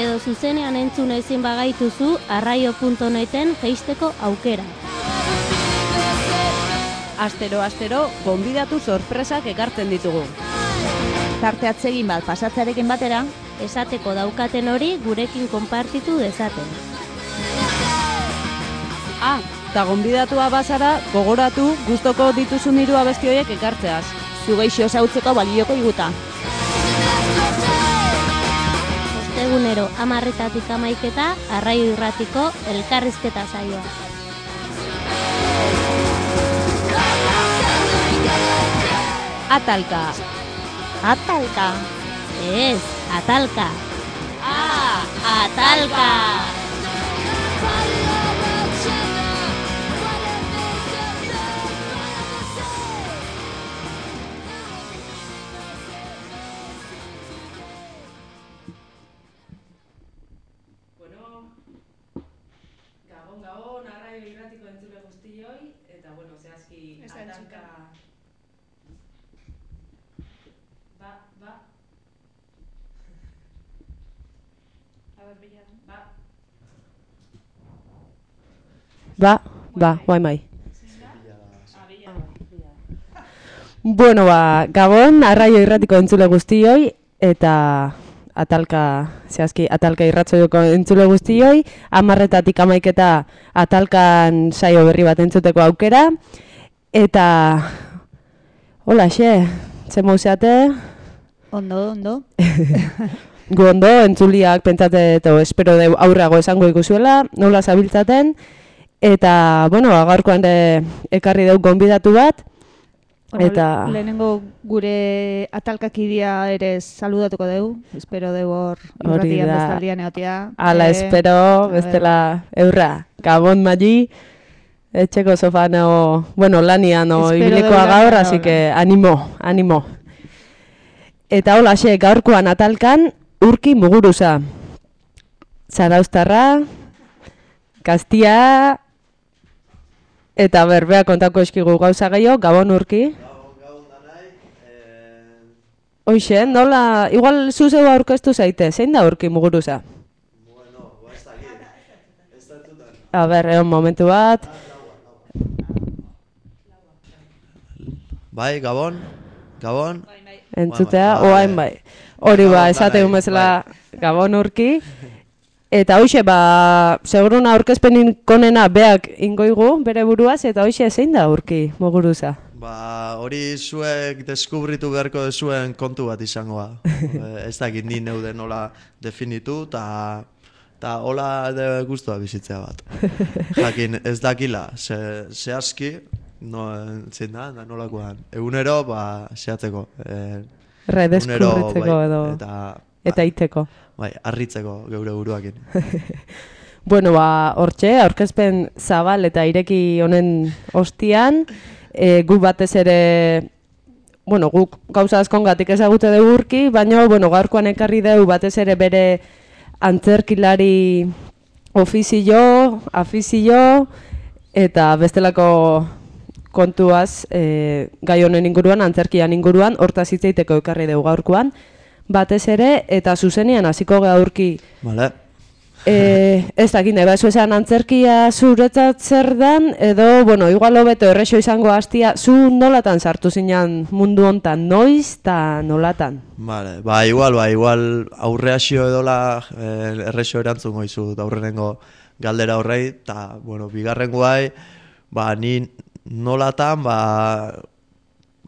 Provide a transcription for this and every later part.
edo zuzenean entzun ezin bagaituzu arraio.neten jeisteko aukera. Astero, gonbidatu sorpresak ekartzen ditugu. Tarte atsegin bat pasatzearekin batera, Esateko daukaten hori gurekin konpartitu dezaten. Eta gonbidatua bazara, gogoratu gustoko dituzun hiru abesti horiek ekartzeaz. zu geixo zautzeko balioko iguta. Ostegunero 10:00 amaiketa, Arraio Irratiko elkarrizketa saioa. Atalka. Atalka. Ez, atalka. Atalka! Gabon, Arraio Irratiko entzule guztioi, eta zehazki atalka... guai mai. Bueno, Gabon, Arraio Irratiko entzule guztioi, eta zehazki atalka irratzoioko entzule guztioi, 10:00 amaiketa atalkan saio berri bat entzuteko aukera, eta hola, ze mauzeate? Ondo. Gu ondo, entzuliak pentsate eta espero deu aurrago esango ikuzuela, nola zabiltzaten, eta, gaurkoan ekarri deu gonbidatu bat, eta... Lehenengo gure atalkakidea ere saludatuko deu, espero deu hor irratian bestaldian egotea. Ala, espero, bestela eurra, Gabon Magi, etxeko sofano, lanian ibilikoa gaur, así que animo. Eta hola, gaurkoan atalkan, Urki Muguruza. Zarauztarra, Kastia, eta berbea kontako eskigu gauza gehiago, Gabon Urki. Gabon danai. Hoxe, nola, igual zuzeu aurkeztu zaite, zein da Urki Muguruza? Ez dakit, ez datutan. A ber, egon momentu bat. Bai, Gabon. Entzutea, oain bai. Hori esategun bezala Gabon Urki. Eta hoxe, seguruna aurkezpenin konena beak ingoigu bere buruaz, eta hoxe zein da Urki Muguruza? Hori zuek deskubritu beharko zuen kontu bat izangoa. Ez dakit ni neude nola definitu, eta hola guztua bizitzea bat. Jakin ez dakila, zehazki, zein da nolakoan. Egunero, zehatzeko. Redeskubritzeko edo, eta iteko. Bai, arritzeko geure buruakin. Hortxe, aurkezpen zabal eta ireki honen ostian, guk batez ere, guk gauza askongatik ezagute dugu Urki, baina, gaurkoan ekarri dugu batez ere bere antzerkilari afizio, eta bestelako kontuaz, gai honen inguruan, antzerkian inguruan, hortaz hitzeiteko ekarri dugu gaurkoan, batez ere, eta zuzenean hasiko gara Urki. Vale. Ez dakit, ez esan antzerkia zuretzat zer dan, edo, igual hobeto errexo izango hastia, zu nolatan sartu zinan mundu hontan, noiz eta nolatan? Vale, igual aurreazio edola errexo erantzun goizu aurrenengo galdera horrei, eta, bigarren guai, ni nolatan,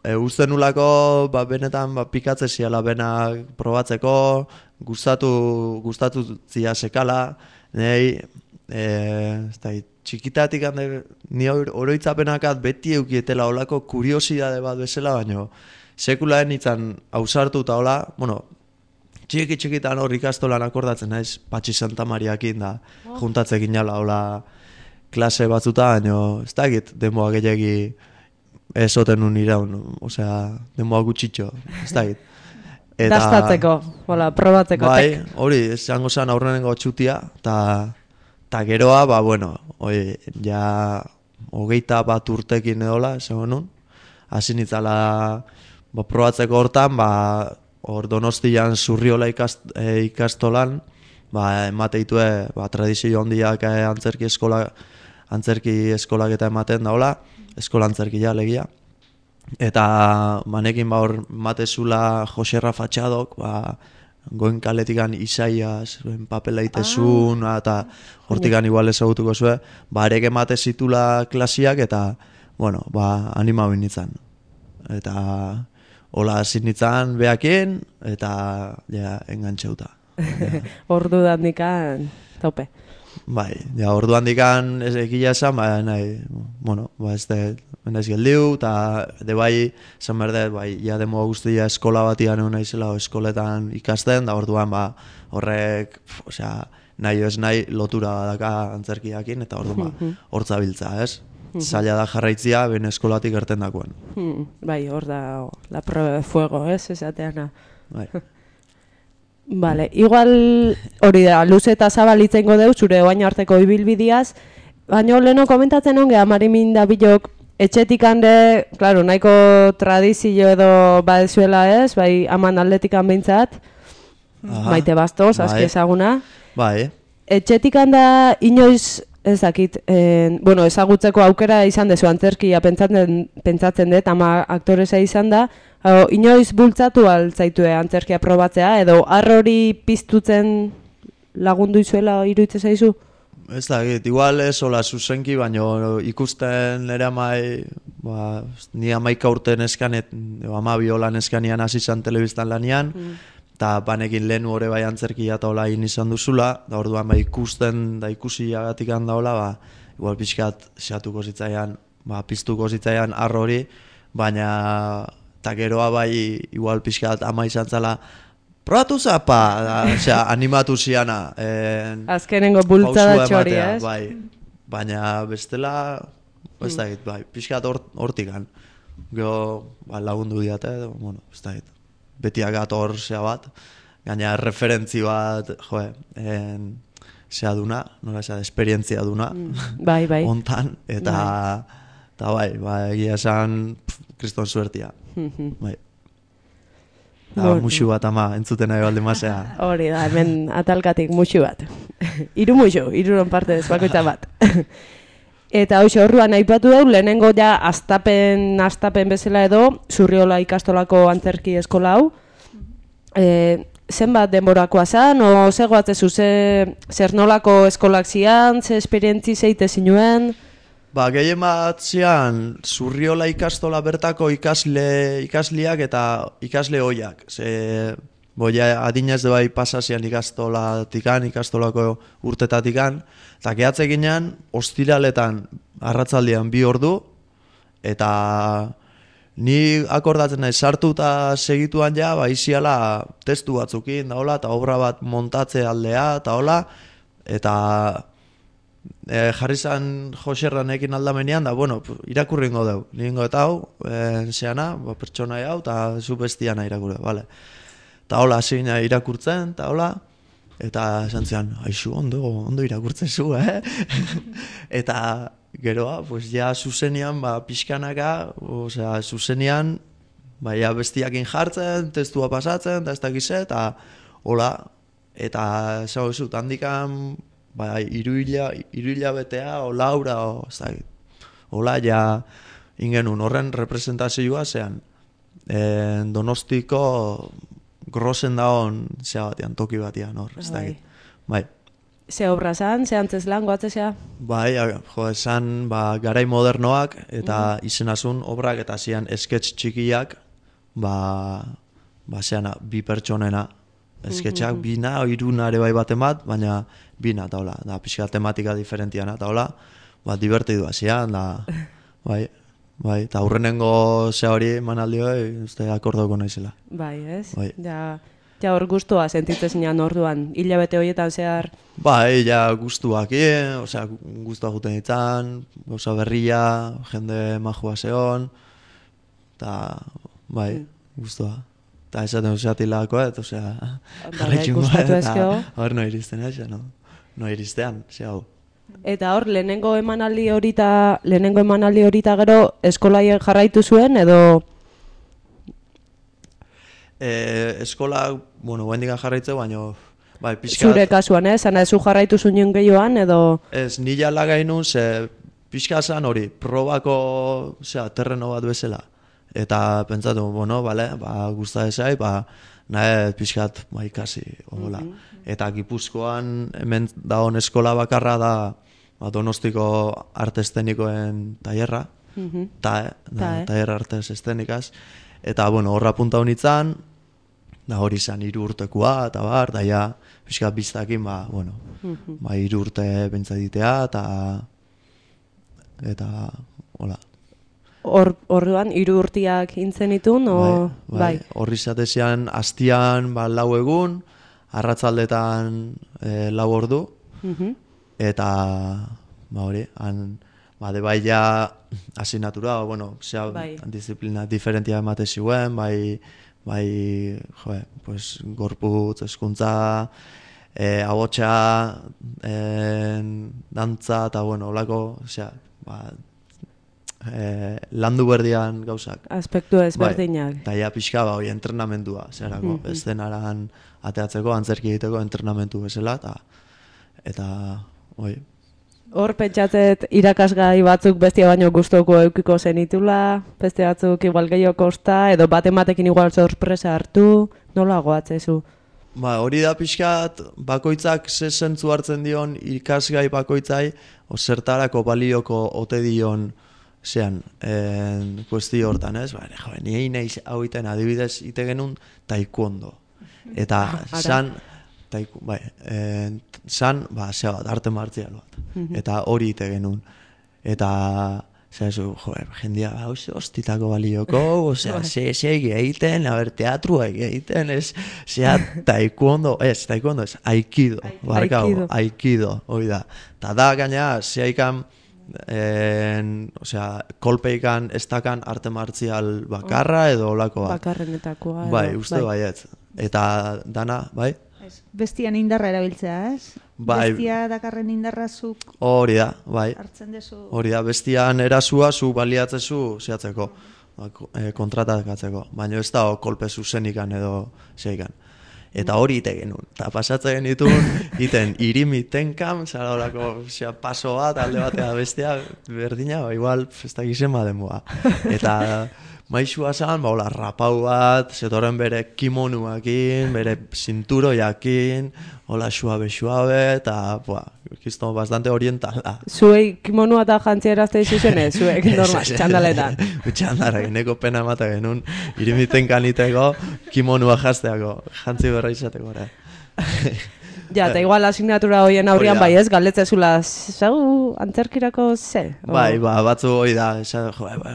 uste nulako benetan pikatze ziala benak probatzeko, gustatu zia sekala, nahi, txikitatik ni oroitzapenakat beti eukietela olako kuriosidade bat bezala, baino sekulaen itzan ausartu eta hola, txikitan hor ikastolan akordatzen naiz, Patxi Santa Mariakin da, juntatzekin jala hola klase batzuta, baino ez dakit demoa gehiagi ezoten un iraun, demoa gutxitxo, ez dakit. Dastatzeko, probatzeko. Bai, hori, esango zen aurrenengo txutia, eta geroa, ja 21 urtekin edola, esango nun, hasi nitzala probatzeko hortan, hor Donostian Zurriola ikastolan, emate ditue tradizio handiak antzerki eskolak eta ematen daola, eskola antzerkia legia. Eta manekin hor matezula Jose Rafa Txadok, goen kaletikan Isaias, papela itezun, eta hortikan igual ezagutuko zue, arek emate zitula klasiak eta, anima binitzen. Eta hola hasi nintzen behakin, eta engantxeuta. Ordu dandikan, tope. Ordu handikan egia esan, naiz geldiu, eta esan berdet, demo guztia eskola batian egun naizela, eskoletan ikasten, da orduan, horrek, nahi ez nahi lotura badaka antzerkiakin, eta orduan, hortza biltza, ez? Zaila da jarraitzia, ben eskolatik erten dakoen. Hor da, la prueba de fuego, ez? Esateana. Vale, igual hori da, luze eta zabalitzengo deu, zure oain arteko ibilbidiaz, baina leheno komentatzen onge, Marimin da bilok, etxetik hande, klaro, nahiko tradizio edo badezuela ez, aman atletikan behintzat, Maite Bastos, aski ezaguna. Etxetik handa inoiz, ez dakit, ezagutzeko aukera izan dezu antzerkia pentsatzen dut, ama aktoresa izan da, inoiz bultzatu altzaitue antzerkia probatzea, edo arrori piztutzen lagundu izuela iruditzen zaizu? Ez dakit, igual ez hola zuzenki, baina ikusten ere ni 11 urte neskan, 12 hola neskanian hasi izan telebistan lanian, eta banekin lehen hori antzerkia eta hola izan duzula, da orduan ikusten da ikusi agatik handa hola, igual pixkat xatuko zitzaian, piztuko zitzaian arrori, baina eta geroa igual pixkat ama izan zala, probatu zapa, animatu ziana. Azkenengo bultzada txori, ez? Baina bestela, ez da git, pixkat hortikan. Gero lagundu diate, ez da git. Betiak ator zea bat, gaina referentzi bat, zea duna, nola zea, esperientzia duna, ontan, eta egia esan, kriston suertia. Muxu bat ama, entzuten nahi balde mazea. Hori da, hemen atalkatik muxu bat. Iruron parte bakoitza bat. Eta hoxe horruan aipatu dugu, lehenengo ja astapen bezala edo, Zurriola ikastolako antzerki eskola hau. Zenbat denborakoa zan, o zegoatzezu, zer nolako eskolak zian, ze esperientzi zeite zinuen? Gehien bat zian, Zurriola ikastola bertako ikasliak eta ikasle hoiak. Adinez de bai pasazian ikastolako urtetatikan, eta gehatze ginen, ostiraletan arratzaldian 2 ordu, eta ni akordatzen nahi sartu eta segituan ja, iziala testu batzukin, eta obra bat montatze aldea, eta jarri zan Joserranekin aldamenean, da, irakurringo deu. Nirengo eta hau, zeana, pertsona hau, eta zu bestiana irakurre, bale. Eta hola, hasi gina irakurtzen, eta esan zian, aixu, ondo irakurtzen zu, Eta geroa, ja, zuzenian, pixkanaka, zuzenian, bestiakin jartzen, testua pasatzen, eta ez dakize, eta hola, eta zau zut, handikan, iruila betea, o laura, ez dakit. Hola, ja, ingenun, horren representazioa zean, Donostiko grosen daon zea batean, toki batean, hor, ez dakit. Ze obra zan, ze antzeslan, goatzezea? Esan, garai modernoak, eta izenazun obrak, eta zian esketx txikiak, zeana, 2 pertsonena, esketxak, 2 iruna ere baten bat, baina 2, eta hola, da, pixka tematika diferentiana, eta hola, divertidua zian, da, eta aurrenengo zea hori manaldioi, uste akordoko naizela. Ez? Ja hor guztua sentitzen zinean orduan, hilabete horietan zehar? Ja guztuak, guztua juten ditzan, gauza berria, jende majua zeon, eta, guztua. Eta esaten usatilako, jarretxungo, eta hor no iristen, no iristean, hau. Eta hor, lehenengo emanaldi horita gero eskolai jarraitu zuen, edo? Eskola, guendikan jarraitzeu, baina Bai, pixkat... Zure kasuan, zana zu jarraitu zuen gehioan, edo... Ez, nila lagainun, ze pixka zan hori, probako, terreno bat bezala. Eta pentsatu, bueno, bale, gusta ezai, nahe pixkat ikasi, hola. Eta Gipuzkoan hemen dagoen eskola bakarra da Donostiko arte eszenikoen tailerra, tailer artes eszenikaz. Eta, bueno, horra punta honitzan, da hori izan 3 urtekoa, eta da ja, pixkat biztakin, 3 urte bentsaditea, eta, hola. Horrean, 3 urtiak intzen itun, bai. Horri zatezian, hastian, 4 egun, arratzaldetan 4 ordu, eta, hori, de bai ja asignatura, disiplina diferentia emate ziuen, bai, pues, gorputz, hezkuntza, ahotsa, dantza, eta, olako, landu berdian gauzak. Aspektu ezberdinak. Eta ja pixka, entrenamendua, zerako, eszenaran ateatzeko, antzerki egiteko entrenamentu bezala, eta, Hor pentsatzet irakasgai batzuk bestia baino gustoko eukiko zenitula, beste batzuk igual gehiago kosta, edo batematekin igual sorpresa hartu, nola goatzezu? Hori da pixkat, bakoitzak ze zentzu hartzen dion ikasgai bakoitzai, zertarako balioko ote dion kuestio hortan, ez? Ni nahi hau iten adibidez ite genuen taekwondo. Eta arte martzial bat. Eta hori ite genuen. Eta, jendia, hostitako balioko, ze egiten, teatrua egiten, taekwondo ez, aikido, hori da. Eta da, gaina, zeikan, kolpeikan, estakan arte martzial bakarra edo olako bat. Bakarrenetakoa. Bai, uste baiet. Eta dana, bai? Bestian indarra erabiltzea, ez? Bai. Bestia dakarren indarrazuk hori da, bai. Hartzen dezu. Hori da, bestian erasua zu baliatzezu zehatzeko, kontratakatzeko. Baina ez da kolpe zuzenikan edo zeikan. Eta hori ite genuen. Eta pasatzen genituen, iten irimitenkan, zara horako paso bat, alde batea bestea, berdina, igual, ez da gizen badenboa. Eta maixua zan, rapau bat, zetoren bere kimonuakin, bere zinturoiakin, hola suabe, eta, kisto bastante orientala. Zuei kimonua eta jantzia erazte izuzenez, zuek, normal, txandaletan. Txandarak, neko pena emata genuen, irimiten kaniteko, kimonua jazteako, jantzi berra izateko, Ja, eta igual asignatura hoien aurrian bai ez, galdetzezula, zau antzerkirako ze? Bai, batzu hori da,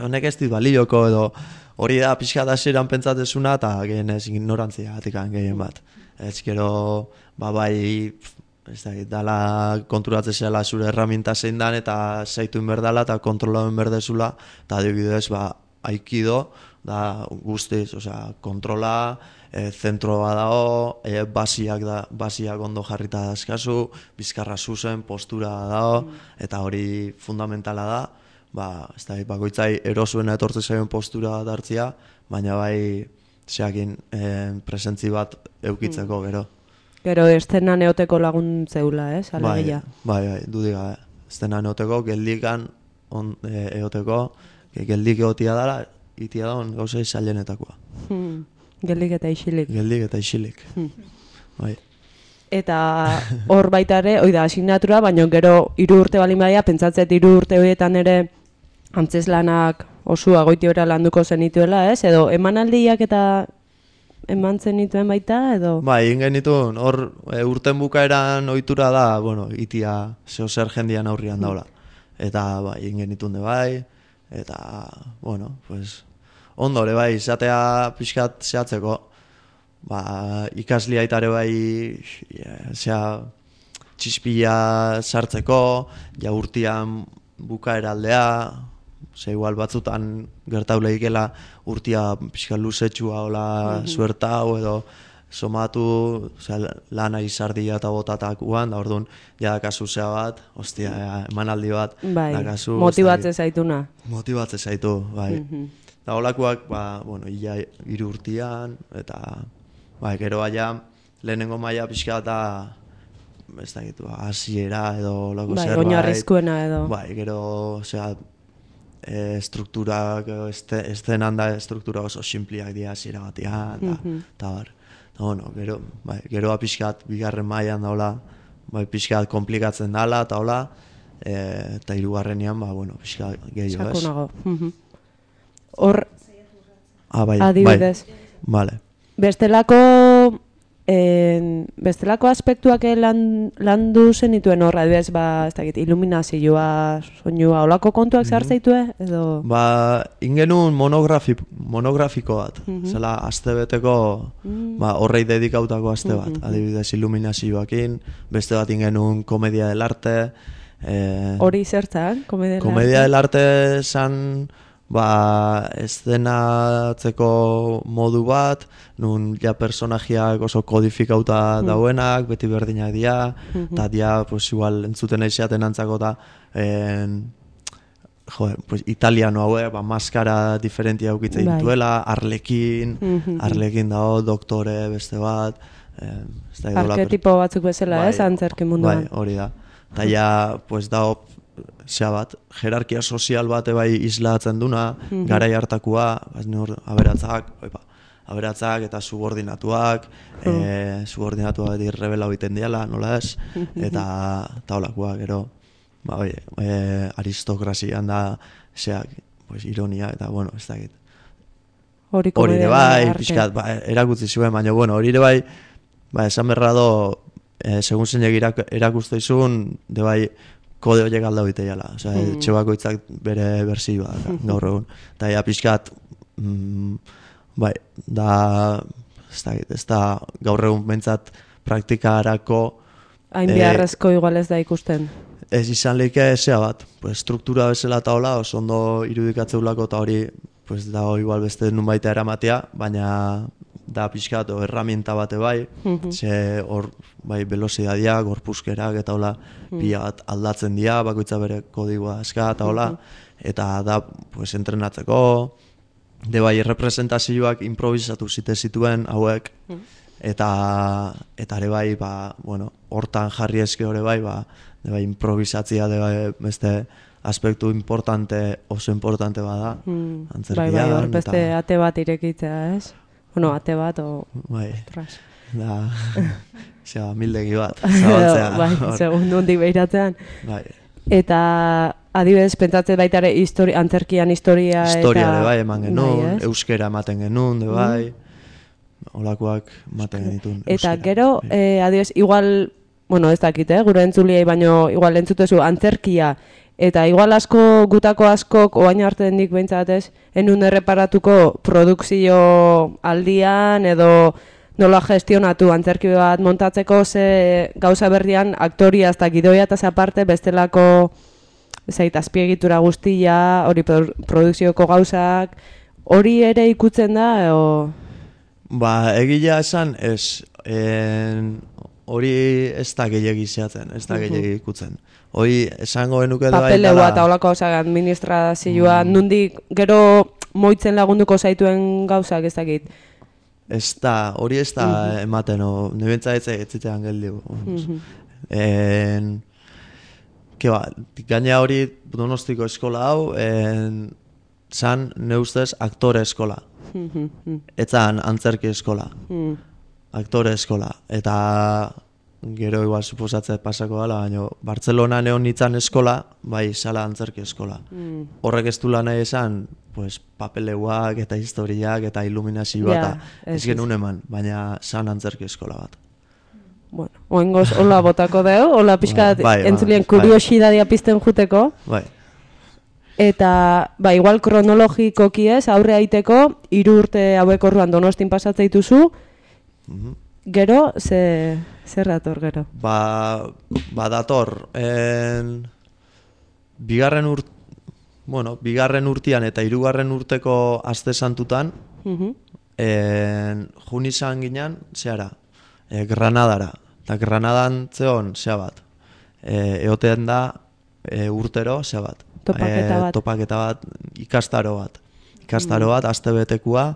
honek ez dit balioko edo, hori da pixka da zeran pentsatzezuna eta gehen ez ignorantzia atikan gehien bat. Ez gero, bai, ez da, dala konturatzezela zure herramienta zein dan eta zaituen berdala eta kontrolauen berdezula, eta adibidez, aikido, da guztiz, kontrola, zentroa dago, basiak ondo jarrita dazkazu, bizkarra zuzen, postura dago, eta hori fundamentala da, ez da, bakoitzai erosuena etortzen zaion postura bat hartzia, baina bai, zeakin presentzi bat eukitzeko gero. Gero, estena neoteko laguntzeula, ez? Bai, dudik gabe. Estena neoteko, geldikan eoteko, geldik egotia dara, itia daun gauzei zailenetakoa. Geldik eta isilik. Geldik eta isilik. Bai. Eta hor baita ere, oida, asignatura, baina gero 3 urte balin badia, pentsatzet 3 urte horietan ere antzeslanak osua goiti ora landuko zenituela, ez? Edo emanaldiak eta eman zenituen baita, edo? Bai, ingen dituen, hor urten bukaeran ohitura da, itia zeo zer jendian aurrian daula. Eta, ingen dituen de bai, eta, pues, ondore bai, izatea pixkat zehatzeko, ikaslia itare bai, txispila sartzeko, urtian bukaeraldea, igual batzutan gertauleikela urtia pixkat luzetxua hola suertau edo somatu, lana izardia eta botatakuan, da orduan, jadakazu zea bat, emanaldi bat, dakazu. Motibatze zaituna. Motibatze zaitu, bai. Da holakoak, 3 urtian, eta, gero baina, lehenengo maila pixka eta ez dakit, hasiera edo lako Bai, zerbait. oinarrizkoena edo. Bai, gero, osea, strukturak, estenan da struktura oso simpliak dira hasiera batean, eta bar. Bueno, gero pixkat bigarren mailan daula, bai, pixkat komplikatzen dala, eta hola, eta hirugarrenean, bueno, pixkat gehiago, ez? Sakonago. Hor, Bai, adibidez. Vale. Bestelako aspektuak landu zenituen horra, adibidez, ez dakit, iluminazioa, soinua, olako kontuak zartzaitue, edo? Ingenun monografiko bat, zela astebeteko, horrei dedikautako aste bat, adibidez iluminazioakin, beste bat ingenun komedia del arte. Hori zertzak, komedia del arte? Komedia del arte zan, eszenatzeko modu bat, nun ja personajiak oso kodifikauta dauenak, beti berdinak dira, eta dia, pues igual, entzuten aizeaten antzako eta pues italiano hauek, maskara diferentia aukitzen dituela, arlekin dago, doktore, beste bat. Arketipo batzuk bezala, ez, antzerki munduan. Bai, hori da. Eta ja, pues dago, bat, jerarkia sozial bat bai islatzen duna, garai hartakoa, aberatzak eta subordinatuak, subordinatuak beti rebela egiten diala, nola ez, eta holakoa, gero, aristokrazian da, pues, ironia, eta, bueno, ez dakit. Hori ere bai, pixkat, erakutzi zuen, baina, bueno, hori ere bai, esan berra do, segun zeinek erakuste izun, de bai, kode horiek alda hoite jala. Osea, etxebakoitzak bere berzioa gaur egun. Eta ja pixkat, ez da gaur egun bentsat praktikarako hain beharrezko igual ez da ikusten. Ez izan lehike zea bat, struktura bezala eta hola, oso ondo irudikatzeulako eta hori dago igual beste nun baita eramatea, baina da pixkat herramienta bate bai, ze hor velozitatea, gorpuzkerak eta hola pila bat aldatzen dira, bakoitza bere kodigoa eska eta hola, eta da entrenatzeko, de bai representazioak improvisatu zituen hauek, eta ere bai, hortan jarri eske hori bai, de bai improvisatzia de bai beste aspektu oso importante bada, antzerkian. Bai, hor beste ate bat irekitzea, ez? Bueno, ate bat, bai, da, mildegi bat, zabaltzea. Bai, segundu hondik behiratzean. Bai. Eta, adibidez, pentsatzen baita ere antzerkian historia eta... Historia de bai eman genuen, euskera ematen genuen, de bai, olakoak ematen genitun. Eta gero, adibidez, igual, bueno, ez dakit, gure entzuliei, baino igual entzutezu antzerkia, eta igual gutako askok, oain arte dendik behintzatez, enun erreparatuko produkzio aldian, edo nola gestionatu antzerki bat montatzeko, ze gauza berrian aktoria ez da gidoia eta aparte bestelako azpiegitura guztia, hori produkzioko gauzak, hori ere ikutzen da, edo... Egila esan, ez, hori ez da gehiagi zehatzen, ez da gehiagi ikutzen. Hori esango genuke da baita... Papeleua eta holako administrazioa, nundik gero moitzen lagunduko zaituen gauzak ez dakit. Hori ez da ematen, nebentza ez zitean geldi. Gaina hori Donostiko eskola hau, zan ne ustez aktore eskola. Etzan antzerki eskola. Aktore eskola. Eta... Gero igual suposatzea pasako dela, baina Bartzelona neon nitzan eskola, bai sala antzerki eskola. Horrek ez du lan nahi esan, papeleuak eta historiak eta iluminazioa eta ez genuen eman, baina san antzerki eskola bat. Bueno, oengoz hola botako deu, hola pixkat entzulien kuriosidadia pizten juteko. Bai. Eta, igual kronologikoki ez, aurre aiteko, 3 urte hauek orduan Donostin pasatzea dituzu, gero, zer dator gero? Dator, bigarren urtean eta 3. urteko aste santutan, jun izan ginen, Granadara. Eta Granadan zeon, bat, eoten da urtero, bat. Topaketa bat. Ikastaro bat, aste betekua,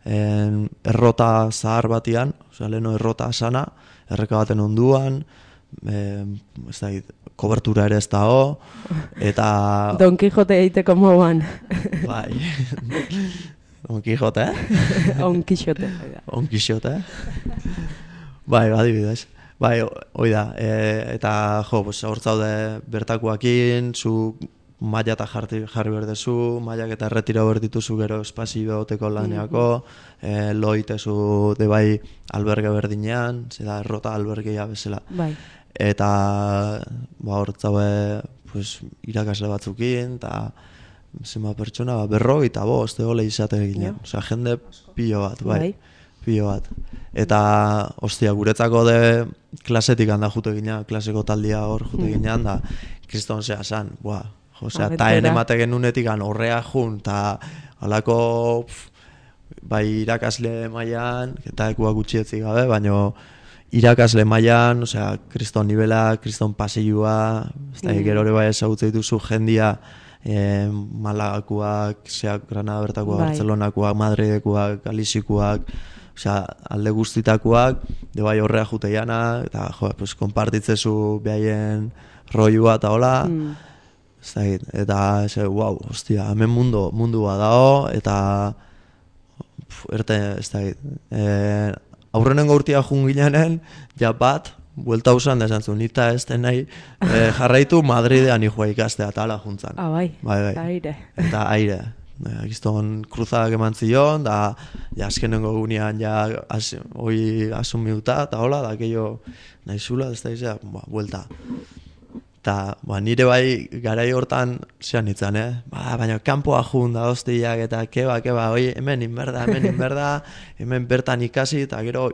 errota zahar batian, osea, leno errota sana, erreka baten onduan, ez da, kobertura ere ez dago, eta... Don Quijote egiteko moduan. Bai, Don Quijote, On Quijote. On Quijote. Bai, adibidez. Bai, hoi da, eta jo, hor zaude bertakoakin, zu maila eta jarri berdezu, mailak eta erretira berdituzu gero espazio egoteko laneako, loitezu de bai alberge berdinean, zeda errota albergeia bezala. Bai. Eta hor zaude pues, irakasle batzukin, eta zenba pertsona, 45 egole izate ginen. Osea, jende pilo bat, bai. Pilo bat. Eta, ostia, guretzako de klasetik handa jute ginen, klaseko taldia hor jute ginen, da, kriston zea zan, osea, eta enemate genunetik horrea jun, eta halako bai irakasle mailan, eta ekuak gutxietzik gabe, baina irakasle mailan, osea, kriston nivela, kriston pasilua, gero hori bai ezagutzen dituzu jendia, Malagakoak, Granada bertakoak, Barcelonakoak, Madridekoak, Galizikoak, osea, alde guztitakoak, de bai horrea juteiana, eta jo, pues, konpartitzezu behaien roiua eta hola, eta wow, hostia, hemen mundua dago, eta ez da, aurrenengo urtia jungilanen, ja bat, buelta usan da esan zuen, nita ez den nahi jarraitu Madridean ikua ikastea eta ala juntzan. Bai, aire. Eta aire. Gizton kruzadak eman zion, da azkenengo gunean hoi asumiuta, eta hola, da keio nahi zula, ez da izea, buelta. Eta nire bai garai hortan zean nintzen, baina kanpoa jun da hostiak eta keba, oi, hemen inberda, hemen bertan ikasi, eta gero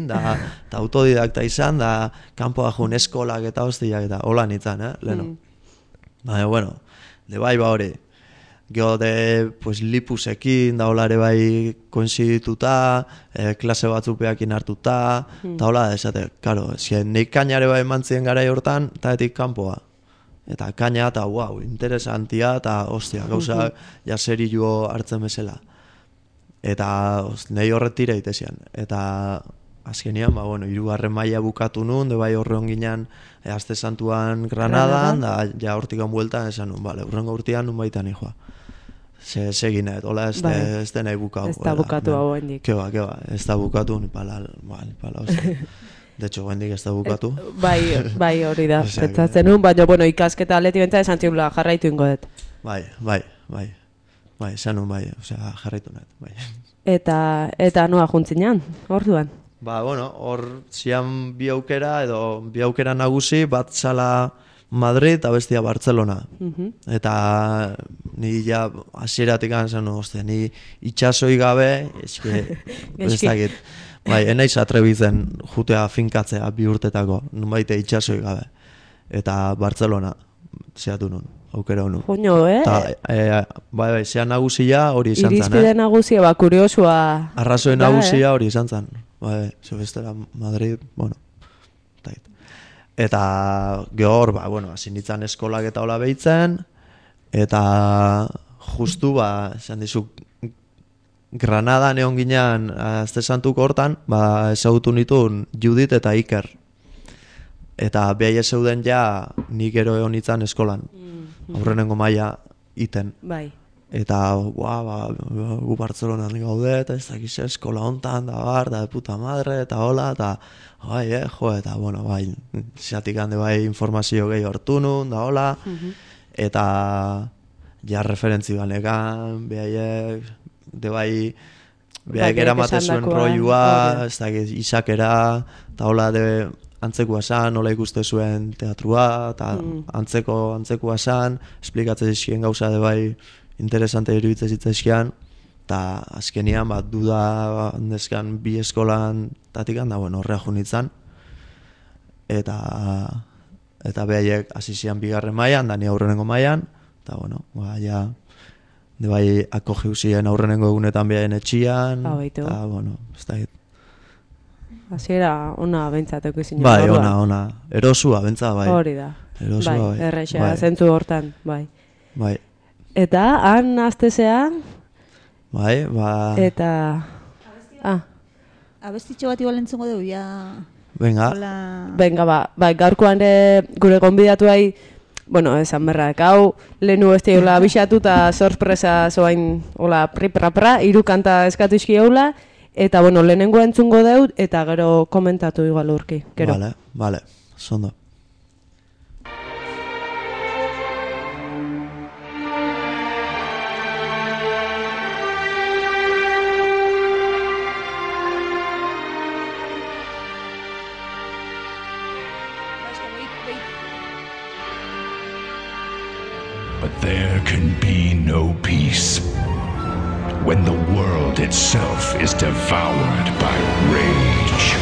da autodidakta izan, da kanpoa jun eskolak eta hostiak eta hola nintzen, leheno. Baina, bueno, de bai hori. Gero de, pues, lipusekin, da hola ere bai koinzidituta, klase batzupeakin hartuta, eta hola da esate, karo, nik kainare bai mantzien garai hortan, eta etik kanpoa. Eta kaina, eta wow, interesantia, eta ostia, gauza jaserioa hartzen bezala. Eta nahi horretira itezian. Eta azkenian, hirugarren maila bukatu nun, de bai horre onginan, Aste Santuan Granadan, da ja hortikan bueltan, esan nun, urrengo urtean nun baitan joa. Seginet, hola ez da nahi bukatu. Ez da bukatu hau hendik. Keba, ez da bukatu, nipala, de hecho, hendik ez da bukatu. Bai, hori da, pentsatzen nun, baina, ikasketa aleti bentsa esan ziula jarraitu ingo dut. Bai, esan nun, osea, jarraitu net, bai. Eta noa juntzinean, orduan? Hor zian bi aukera nagusi, bat zala Madrid eta bestia Barcelona. Eta ni ja hasieratik zen, ni itxasoi gabe, ez dakit. Bai, enaiz atrebitzen jutea finkatzea bi urtetako, nunbaite itxasoi gabe. Eta Barcelona, zeatu nun, aukera honu. Joño, Bai, zean nagusia hori izan zen. Irizpide nagusia, kuriosua. Arrazoi nagusia hori izan zen. Bai, zebestera Madrid, eta gehor, hasi nintzen eskolak eta hola behitzen, eta justu, esan dizu, Granadan egon ginean, Aste Santuko hortan, ezagutu nituen Judit eta Iker. Eta behai zeuden ja, nik gero egon nintzen eskolan, aurrenengo maila iten. Bai. Eta, gu Bartzelonan gaude, eta ez dakiz eskola hontan, da puta madre, eta hola, eta eta, zeatik hande informazio gehi hortu nun, da hola, eta ja referentzi banekan, behaiek, behaiek eramaten zuen roiua, ez dakiz, isakera, eta hola, antzekua san, nola ikuste zuen teatrua, eta antzekua san, esplikatzen zizkien gauza interesante iruditzen zitzaizkian, eta azkenian duda neskan bi eskolan tatikan, da horrea junitzen, eta behaiek hasi zian bigarren mailan, da ni aurrenengo mailan, eta ja de bai akogiu ziren aurrenengo egunetan behaien etxian, eta ez da hit. Hasiera ona bentsateko izin. Bai, ona, erosua bentsa, bai. Hori da. Erosua, bai. Errexea, zentzu hortan, bai. Bai. Eta, han aztezea, Bai, ba... Eta... Abestitxo bat igual entzungo dugu, ja... Venga. Venga, ba, gaurkoan gure gonbidatuai, bueno, esan berrak, hau lehenu ez diola abixatu eta sorpresa zoain, hola, pri-pra-pra, 3 kanta eskatu izkiola, eta, bueno, lehenengo entzungo deut, eta gero komentatu igual urki, gero. Vale, zondo. But there can be no peace when the world itself is devoured by rage.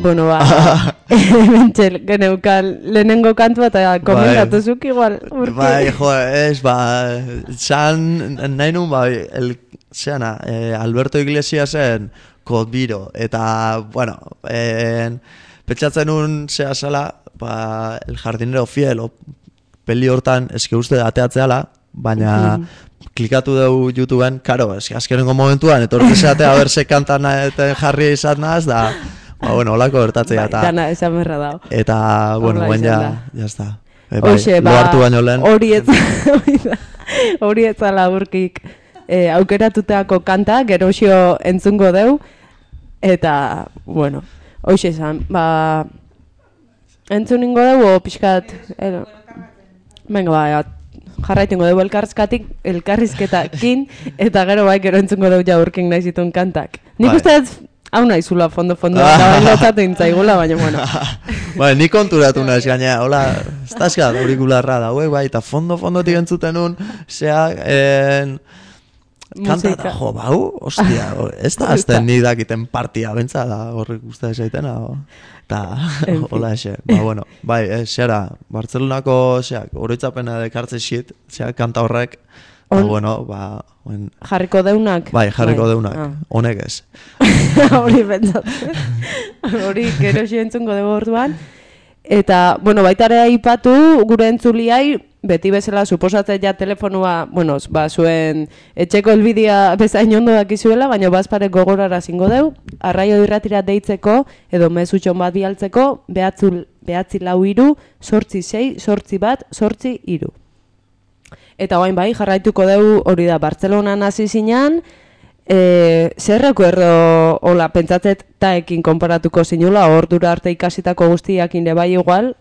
Bueno, ba, mentxel, geneukan lehenengo kantua eta komentatu zuk igual urki. Bai, jo, ez, zan nahi nun, Alberto Iglesiasen Codbiro, eta, bueno, petxatzen nun zea zala, El jardinero fiel, peli hortan, eske uste ateatzeala, baina klikatu dugu YouTubeen, karo, eske azkenengo momentuan, etortzeatea, berse kantan jarri izan naz, da... bueno, holako bertatzea eta... Dana, esan berra dago. Eta, bueno, guen jazta. Hoxe, lo hartu baino lehen. Hori etzala urkik aukeratutako kanta, geroxio entzungo deu, eta, bueno, hoxe esan, entzuningo deu, o pixkat... Venga, jarraitingo deu elkarrizketakin, eta gero gero entzungo deu ja urkin nahi zituen kantak. Nik uste hau nahizula fondo, eta lotzatu intzaigula, baina, bueno. Nik konturatu naiz gaina, hola, estazka aurikularra dauek, bai, eta fondo-fondotik entzuten nun, kanta da, jo, bau, ostia, ez da azten nik dakiten partia bentsa, da horrek uste esaitena, eta, hola ese, bueno, bai, zera, Bartzelonako, oroitzapena dekartze xit, kanta horrek, bueno, jarriko deunak? Bai, jarriko deunak, honek ez. Hori pentsatzen. Hori gero entzungo dugu orduan. Eta, bueno, baitare aipatu gure entzuliai, beti bezala suposatzen ja telefonua, bueno, zuen etxeko elbidia bezain ondo dakizuela, baina bazpare gogorara zingo deu, arraio irratira deitzeko, edo mezutxon bat bialtzeko, 943-868-831. Eta guain bai, jarraituko dugu hori da Bartzelonan hasi zinan, zer recuerdo, hola, pentsatzet taekin konparatuko zinula, ordura arte ikasitako guztiak inde bai igual,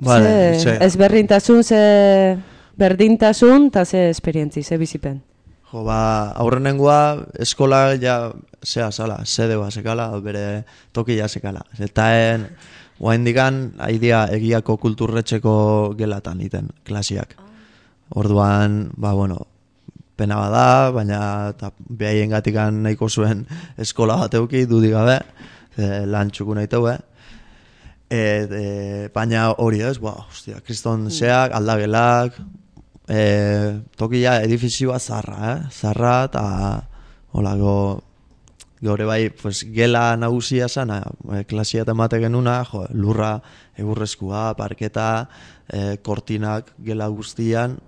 ez berdintasun, eta ze esperientzi, ze bizipen. Jo, aurrenengoa eskola ja, sede bazekala, bere tokia sekala. Eta Oaindikan aidia egiako kulturretxeko gelatan iten, klasiak. Orduan, pena bada, baina behaien gatikan nahiko zuen eskola bat euki, dudik gabe, lan txuku nahi teue. Baina hori ez, kriston zeak, aldagelak, tokia edifizioa zarra, eta holako, gaur bai, pues, gela nagusia sana, klasia temate genuna, lurra egurrezkoa, parketa, kortinak gela guztian,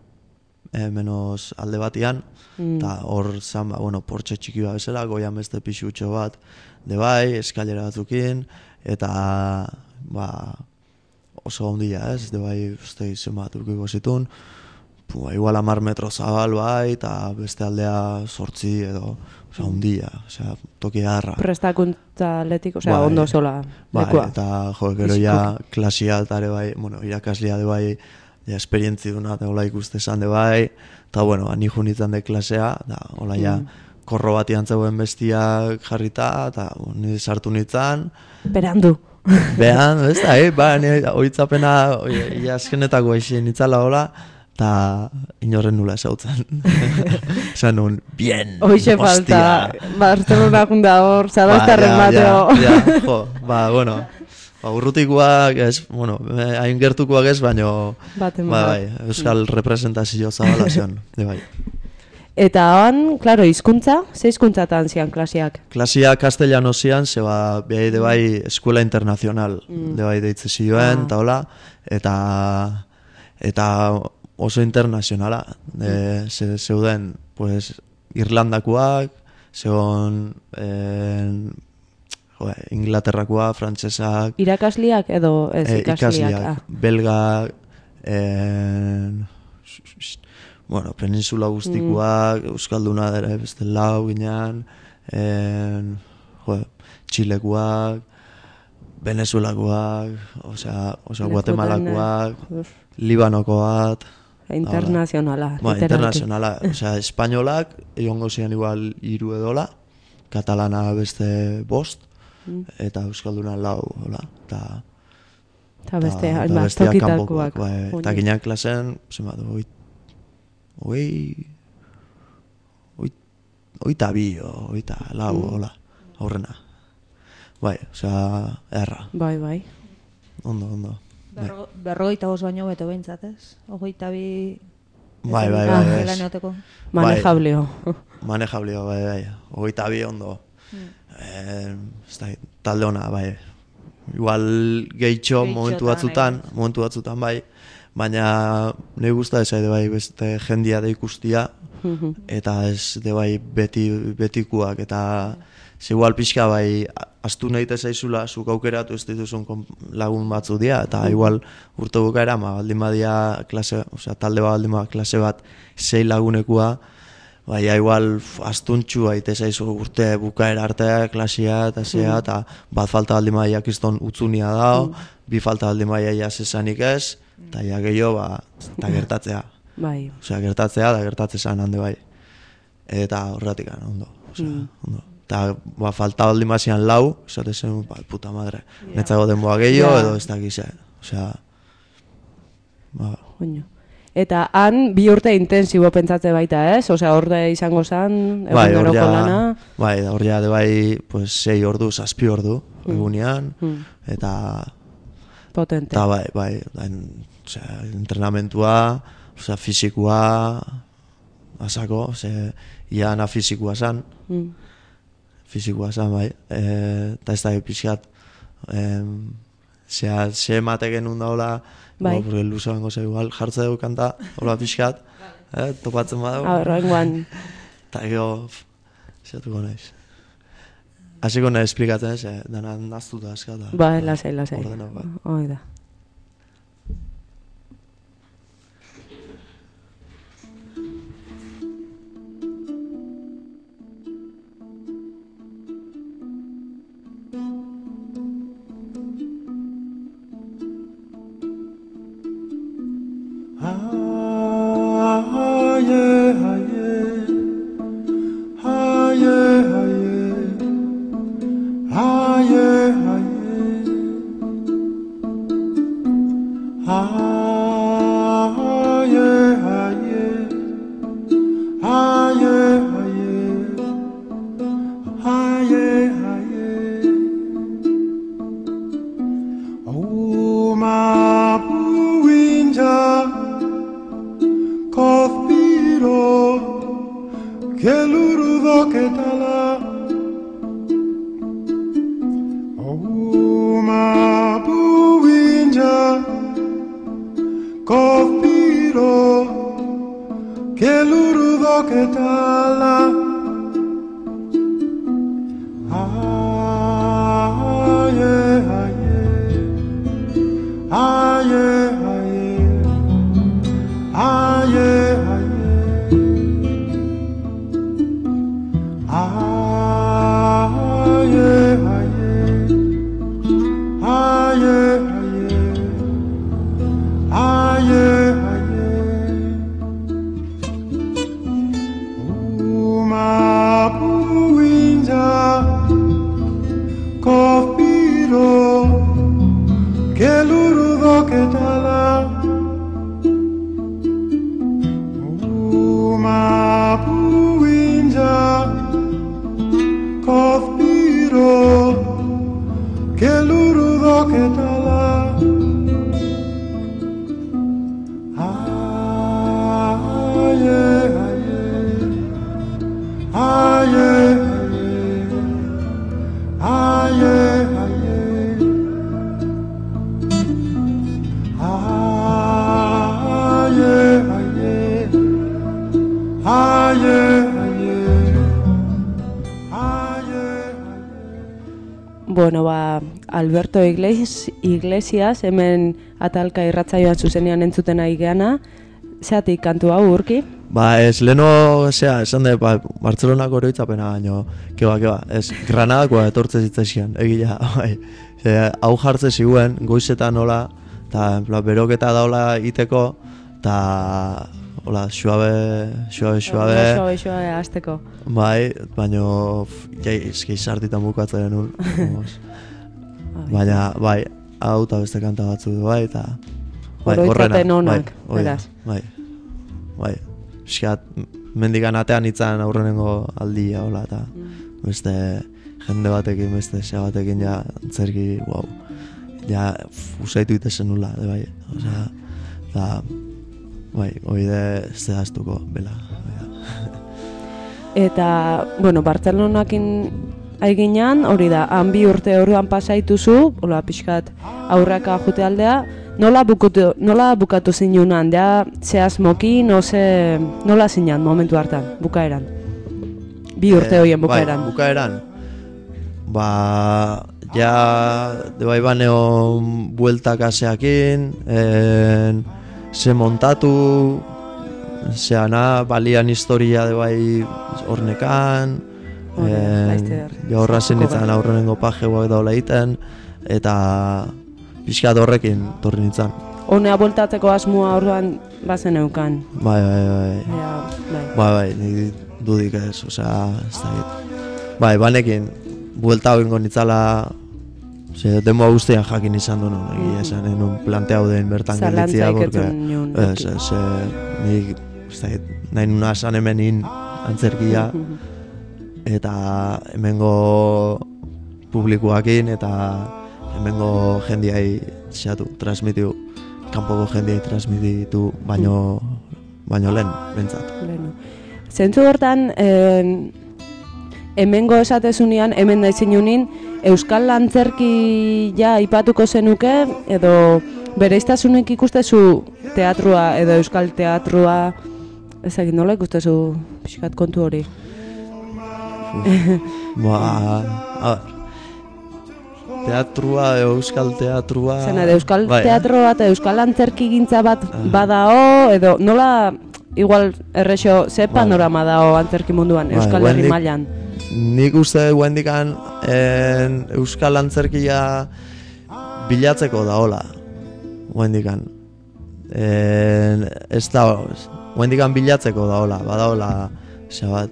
menos alde batian, eta hor zan, portxe txiki bat bezala, goian beste pixutxo bat, de bai, eskailera batzukin, eta, oso ondia ez, de bai, uste izen bat urkiko zitun, igual 10 metro zabal bai, eta beste aldea 8 edo, oza, ondia, oza, toki harra. Prestakuntza atletik, oza, ondo sola. Bai, eta gero ja klasia altare bai, irakaslea de bai, ja esperientzi duna, eta hola ikuste esan de bai, eta ni junitzen de klasea, da, hola ja, korro bat zegoen bestiak jarrita, eta nire sartu nintzen. Berandu. Behan, ez da, nire oitzapena, azkenetako aixen nitzala hola, eta inorren nula esautzen. Esan nun, bien, hoxe falta, Barcelona junda hor, Zarauztarren bateo. Urrutikoak ez, hain gertukoak ez, baino, euskal representazio zabala zion, bai. Eta han, klaro, hizkuntza, ze hizkuntzatan zian klasiak? Klasiak castellano zian, zeba, behai de bai, eskuela internacional, de bai deitze zioen, eta hola, eta oso internazionala, zeuden, pues, Irlandakoak, zegoen Inglaterrakoak, frantsesak... Irakasliak edo ez ikasliak? Belgak, peninsula guztikoak, Euskalduna dere beste lau ginean, Txilekoak, Venezuelakoak, Guatemalakoak, Libanokoak... Internazionala. Internazionala, espainolak, egongo zian igual 3 edola, katalana beste 5, eta euskalduna 4, eta beste tokitakoak. Eta ginean klasen, oita bi, oita lau, aurrena. Bai, erra. Bai. Ondo. 45 baino beto behintzat, ez? 22... Bai. Manejablio. Manejablio, bai. 22 ondo. Talde ona, bai. Igual gehitxo momentu batzutan, bai. Baina nahi guzta ez bai beste jendia da ikustia, eta ez de bai betikuak, eta igual pixka bai astu nahi zaizula, zuk aukeratu ez dituzun lagun batzu dira, eta igual urte bukaera, baldin badia klase, talde bat baldin badia klase bat 6 lagunekua, baina igual astuntxu aite zaizu urte bukaera arte klasia eta zea, eta bat falta baldin badia kiston utzunia dao, bi falta baldin badia jasesanik ez, eta ja gehiago, eta gertatzea. Bai. Gertatzea, da gertatzezan hande bai. Eta horretik ondo. Ondo. Eta falta baldin bazian 4, esate zen, puta madre, netzago denboa gehiago, edo ez dakize. Eta han 2 urte intensibo pentsatze baita, ez? Orde izango zen, eguneroko lana. Bai, hor ja, de bai, 6 ordu, 7 ordu, egunean, eta... Potente. Eta bai, entrenamentua, fizikoa, asako, iana fizikoa zan, bai, eta ez da pixkat, ze emate genuen daula, porque luza bengo ze igual, jartze dugu kanta, hola pixkat, topatzen badago. Horrengoan. Eta ego, zeatuko nahiz. Hasiko nahi esplikatzen, dana naztuta eskata. Bai, lasai. Hoi da. kelurudoketala Uma buinja Kofiro kelurudoketala Aye, aye Aye, aye Aye, Bueno, Alberto Iglesias, hemen atalka irratsaioan zuzenean entzuten ari geana, zeatik kantu hau urki? Ez leno, esan da, Bartzelonako oroitzapena, baino, keba, ez, Granadakoa etortze zitzaizkian, egila, bai. Hau jartze ziguen, goizetan nola, eta beroketa daula iteko, eta hola, suabe hasteko. Bai, baino eski sartitan bukatzen nun. Baina, bai, hau eta beste kanta batzu du, bai, eta oroitzapen honak, beraz. Bai, eskat, mendikan atean itzan aurrenengo aldia, hola, eta beste jende batekin, beste zea batekin, ja, antzerki, wow, ja, usaitu itezen nula, bai, osea, eta, bai, oide zehaztuko, bela. Eta, bueno, Bartzelonakin aiginan, hori da, han 2 urte orduan pasaituzu, hola, pixkat aurraka jute aldea, nola bukatu zinunan, ja, zehazmokin, nola zinan momentu hartan, bukaeran? 2 urte horien bukaeran. Bai, bukaeran, ja, bai baneo bueltak aseakin, se montatu, zeana, balian historia de bai hornekan, ja horra zenitzen aurrenengo pajeoak daula egiten, eta pixkat horrekin torri nintzen. Honea bueltatzeko asmoa orduan bazen eukan. Bai, nik dudik ez, osea, ez da hit. Bai, banekin, buelta hau ingo nitzala, demo guztian jakin izan du nun, egia esan, nun planteau den bertan gelditzia, nik, nahi nuna esan hemenin antzerkia, eta hemengo publikoakin, eta hemengo jendiai transmitiu, kanpoko jendiai transmititu, baino lehen, bentsat. Zentzu hortan, hemengo esatezunean, hemen naizinunin, euskal antzerki ja ipatuko zenuke, edo bereiztasunik ikustezu teatrua edo euskal teatrua, ezagin nola ikustezu pixkat kontu hori? Teatrua, euskal teatrua... Zena, euskal teatroa eta euskal antzerki gintza bat badao, edo nola, igual errexo, ze panorama dao antzerki munduan, euskal herri mailan? Nik uste guendikan euskal antzerkia bilatzeko daola, guendikan. Ez da, guendikan bilatzeko daola, badaola,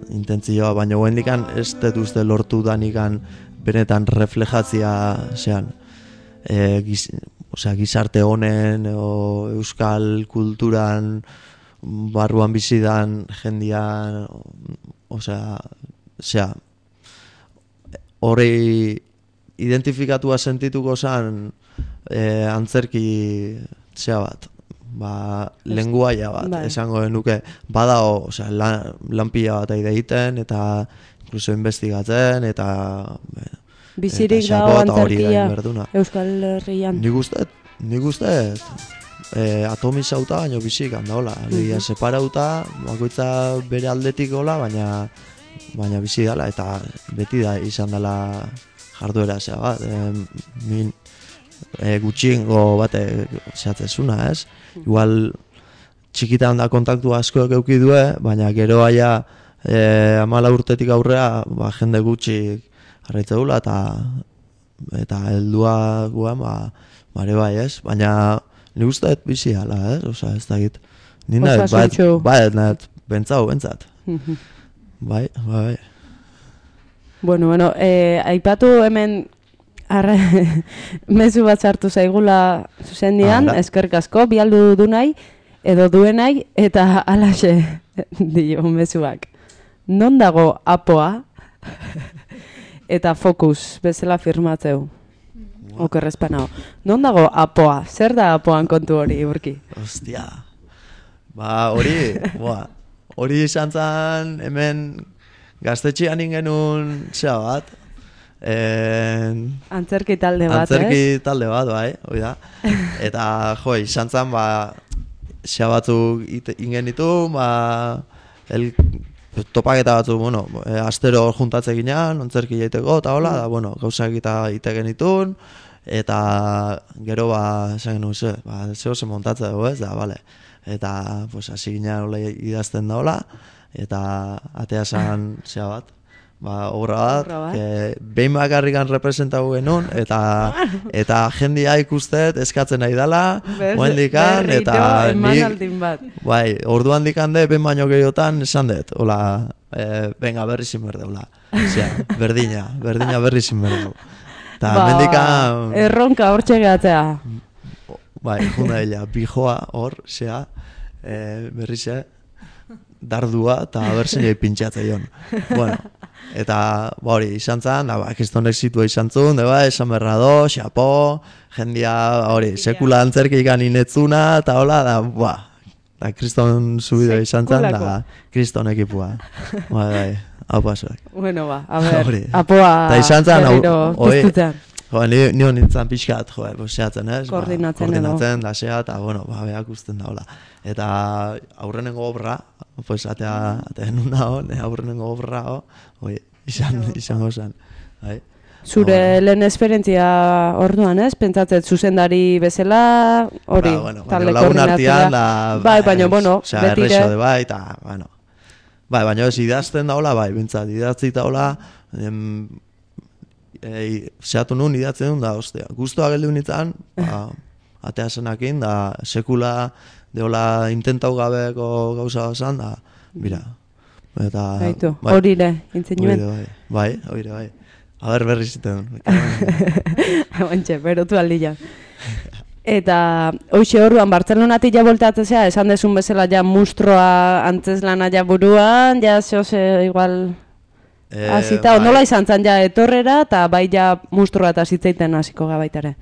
intentzioa, baina guendikan ez dut uste lortu danikan benetan reflejatzia zean. Gizarte honen, euskal kulturan, barruan bizidan, jendian, hori identifikatua sentituko zen antzerki bat. lenguaia bat, Bai. esango genuke, badao, osea, lanpila bat egiten, eta incluso investigatzen, eta Bizirik eta dago xapo eta hori antzerkia gain berduna. Euskal Herrian. Nik uste, atomizauta baino bizik handaola. Alegia separauta, bakoitza bere aldetik gola, baina bizi dala, eta beti da izan dela jarduera zea bat. Gutxiengo bate zehatzezuna, ez? Igual txikitan da kontaktu asko euki due, baina gero aia 14 urtetik aurrea jende gutxi jarraitze dula, eta heldua guan, bare bai, ez? Baina nik uste bizi ala, ez? Osa, ez dakit. Nina, nahet, bentsat. Bai. Bueno, aipatu hemen mezu bat sartu zaigula zuzendian, eskerrik asko, bialdu du nahi, edo duenai, eta alaxe dio mezuak. Non dago apoa? Eta fokus, bezala firmatzeu. Okerrezpanao. Non dago apoa? Zer da apoan kontu hori, Urki? Ostia. Hori izan zen hemen gaztetxean ingenun zea bat. Antzerki talde bat, Antzerki talde bat, bai, hori da. Eta, izan zen, zea batzuk ingenitu, topaketa batzuk, astero juntatze ginean, antzerki jaiteko, eta hola, da, gauzak ite genitun, eta gero, esan genuen ze, zeo ze montatze dugu, ez, da, bale. Eta, hasi ginean hola idazten da hola, eta atea zan zea bat, obra bat, behin bakarrikan representatu genuen, eta jendia ikustet eskatzen nahi dela, oendikan, eta bai, orduan dikande, behin baino gehiotan esan dut, hola, venga, berri zin berde, hola, berdina berri zin berde. Eta mendikan... Erronka hor txegatzea. Bai, junda dela, bijoa hor, zea, berri ze, dardua, eta berzen jai pintxatzea joan. Bueno, eta hori izan zen, kistonek zitua izan zuen, esan berra do, xapo, jendia, hori, sekula antzerki ikan inetzuna, eta hola, da, kriston zubideo izan zen, da, kriston ekipua. Bai, hau pasuak. Bueno, a ver, apoa berriro puztutean. Ni honintzen pixkat, zehatzen, ez? Koordinatzen da zea, eta, beak usten daula. Eta aurrenengo obra, atea nuna aurrenengo obra, izan gozan. Zure lehen esperientzia orduan, ez? Pentsatzet zuzendari bezala, hori, talde koordinatzea. Bai, baina, betire. Bai, eta, baina ez idazten daula, bai, bintzat, idatzi daula, zehatu nun idatzen duen da, ostia. Guztua geldu nintzen, atea zenakin, da sekula deola intentau gabeko gauza bazan, da, bira. Gaitu, horire, intzinuen. Bai. Aber berri ziten duen. Bantxe, berotu aldia. Eta, hoxe orduan, Bartzelonatik ja voltatzea, esan desun bezala ja mustroa antzeslana ja buruan, ja zehose igual... Azita, ondola izan zen ja etorrera, eta bai ja mustroa eta zitzeiten hasiko gabaitare.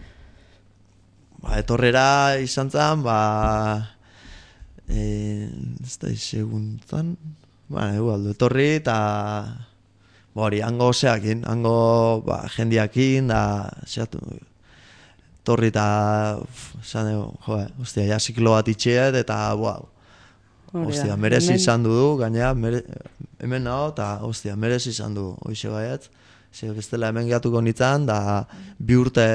Etorrera izan zen, ez da seguntzan, etorri eta hori, hango zeakin, hango jendiakin, da, zeatu, etorri eta, esan dugu, ostia, ja ziklo bat itxeet, eta, ostia, merezi izan du, gainera, hemen nago, eta, ostia, merezi izan du, hoxe gaiat, bestela hemen gehatuko nintzen, da, 2 urte,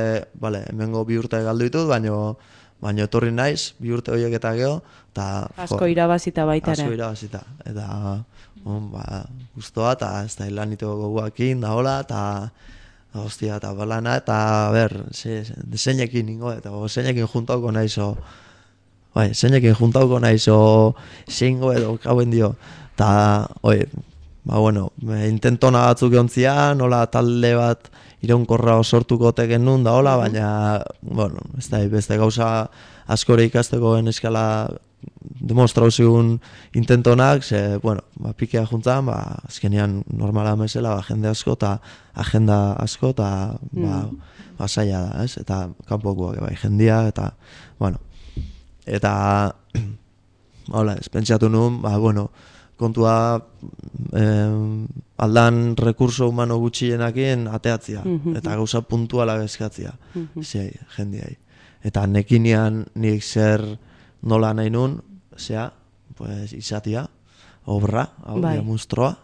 hemengo 2 urte galdu ditut, baina etorri naiz, 2 urte horiek eta geho, eta... Asko irabazita baitare. Asko irabazita, eta, guztua, eta ez da hilan niteko goguakin, da hola, eta, ostia, eta balana, eta, deseinekin ningo, eta deseinekin juntauko naizo, zeinekin juntauko naizo, zeingo edo, kauen dio, eta, intentona batzuk egontzian, hola talde bat iraunkorra sortuko teken nun da hola, baina, ez da, beste gauza askore ikasteko eskala demostrau zigun intentonak, pikea juntzan, azkenean normala mesela, jende asko eta agenda asko eta zaila da, ez? Eta kanpokoak jendia, eta, Eta, hola, ez pentsatu nuen, bueno, kontua aldan rekurso humano gutxienakin ateatzia, eta gauza puntuala eskatzia, jendiai. Eta nekinean nik zer nola nahi nun, pues, izatia, obra, hau, monstrua,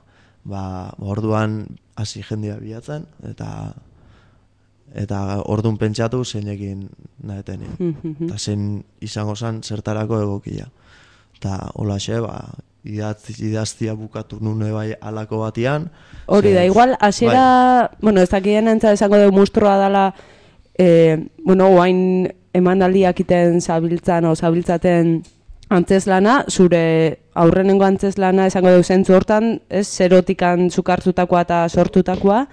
orduan hasi jendia bilatzen, eta orduan pentsatu zeinekin nahetenin. Eta zein izango zen zertarako egokia. Eta holaxe, idaztia bukatu nune bai alako batian. Hori da, igual, hasiera, bueno, ez dakien entza esango dugu monstrua dela, oain emanaldiak iten zabiltzaten antzeslana, zure aurrenengo antzeslana esango dugu zentzu hortan, ez, zerotikan zukartutakoa eta sortutakoa,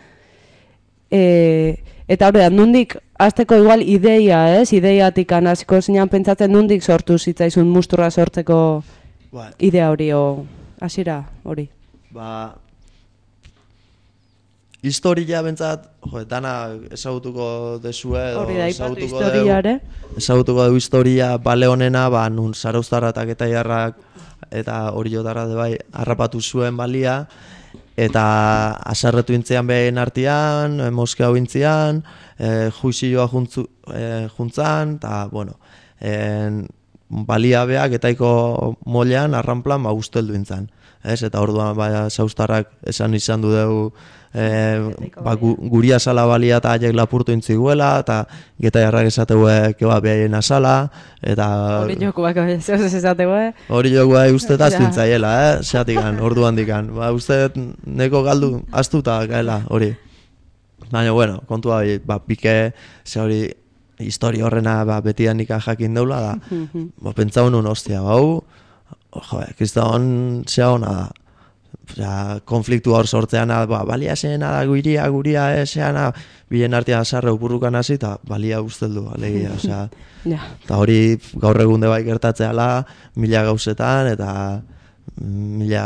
eta hori da, nundik, azteko igual ideia, ez, ideiatik hasiko zinean pentsatzen nundik sortu zitzaizun musturra sortzeko idea hori, hasiera hori. Historia bentsat, dana ezagutuko dezue, hori da, ipatu historiare. Ezagutuko dugu historia bale honena, nun Zarauztarra eta Getaiarrak eta Oriotarra bai harrapatu zuen balia, eta aserretu intzean behin artean, Moskau intzean, juizioa juntzan, eta, bueno, balia beak etaiko molean arranplan usteldu intzan. Eta orduan Zarauztarrak esan izan du dugu guria sala balia eta haiek lapurtu intziguela, eta Getaiarrak esateuek behaien asala, eta... Hori jokuak esateuek. Hori jokuak uste aztu intzaiela, zeatikan, orduan dikan. Uste neko galdu aztuta gaela, hori. Baina, bueno, kontua pike, ze hori, historia horrena betian ikan jakin deula da. Pentsau nun, ostia, kriston zea hona da. Konfliktu hor sortzean, balia zeena da, guria zeana, bilen artean sarre upurrukan hasi, eta balia usteldu, alegia, eta hori gaur egunde bai gertatzeala, 1000 gauzetan, eta 1000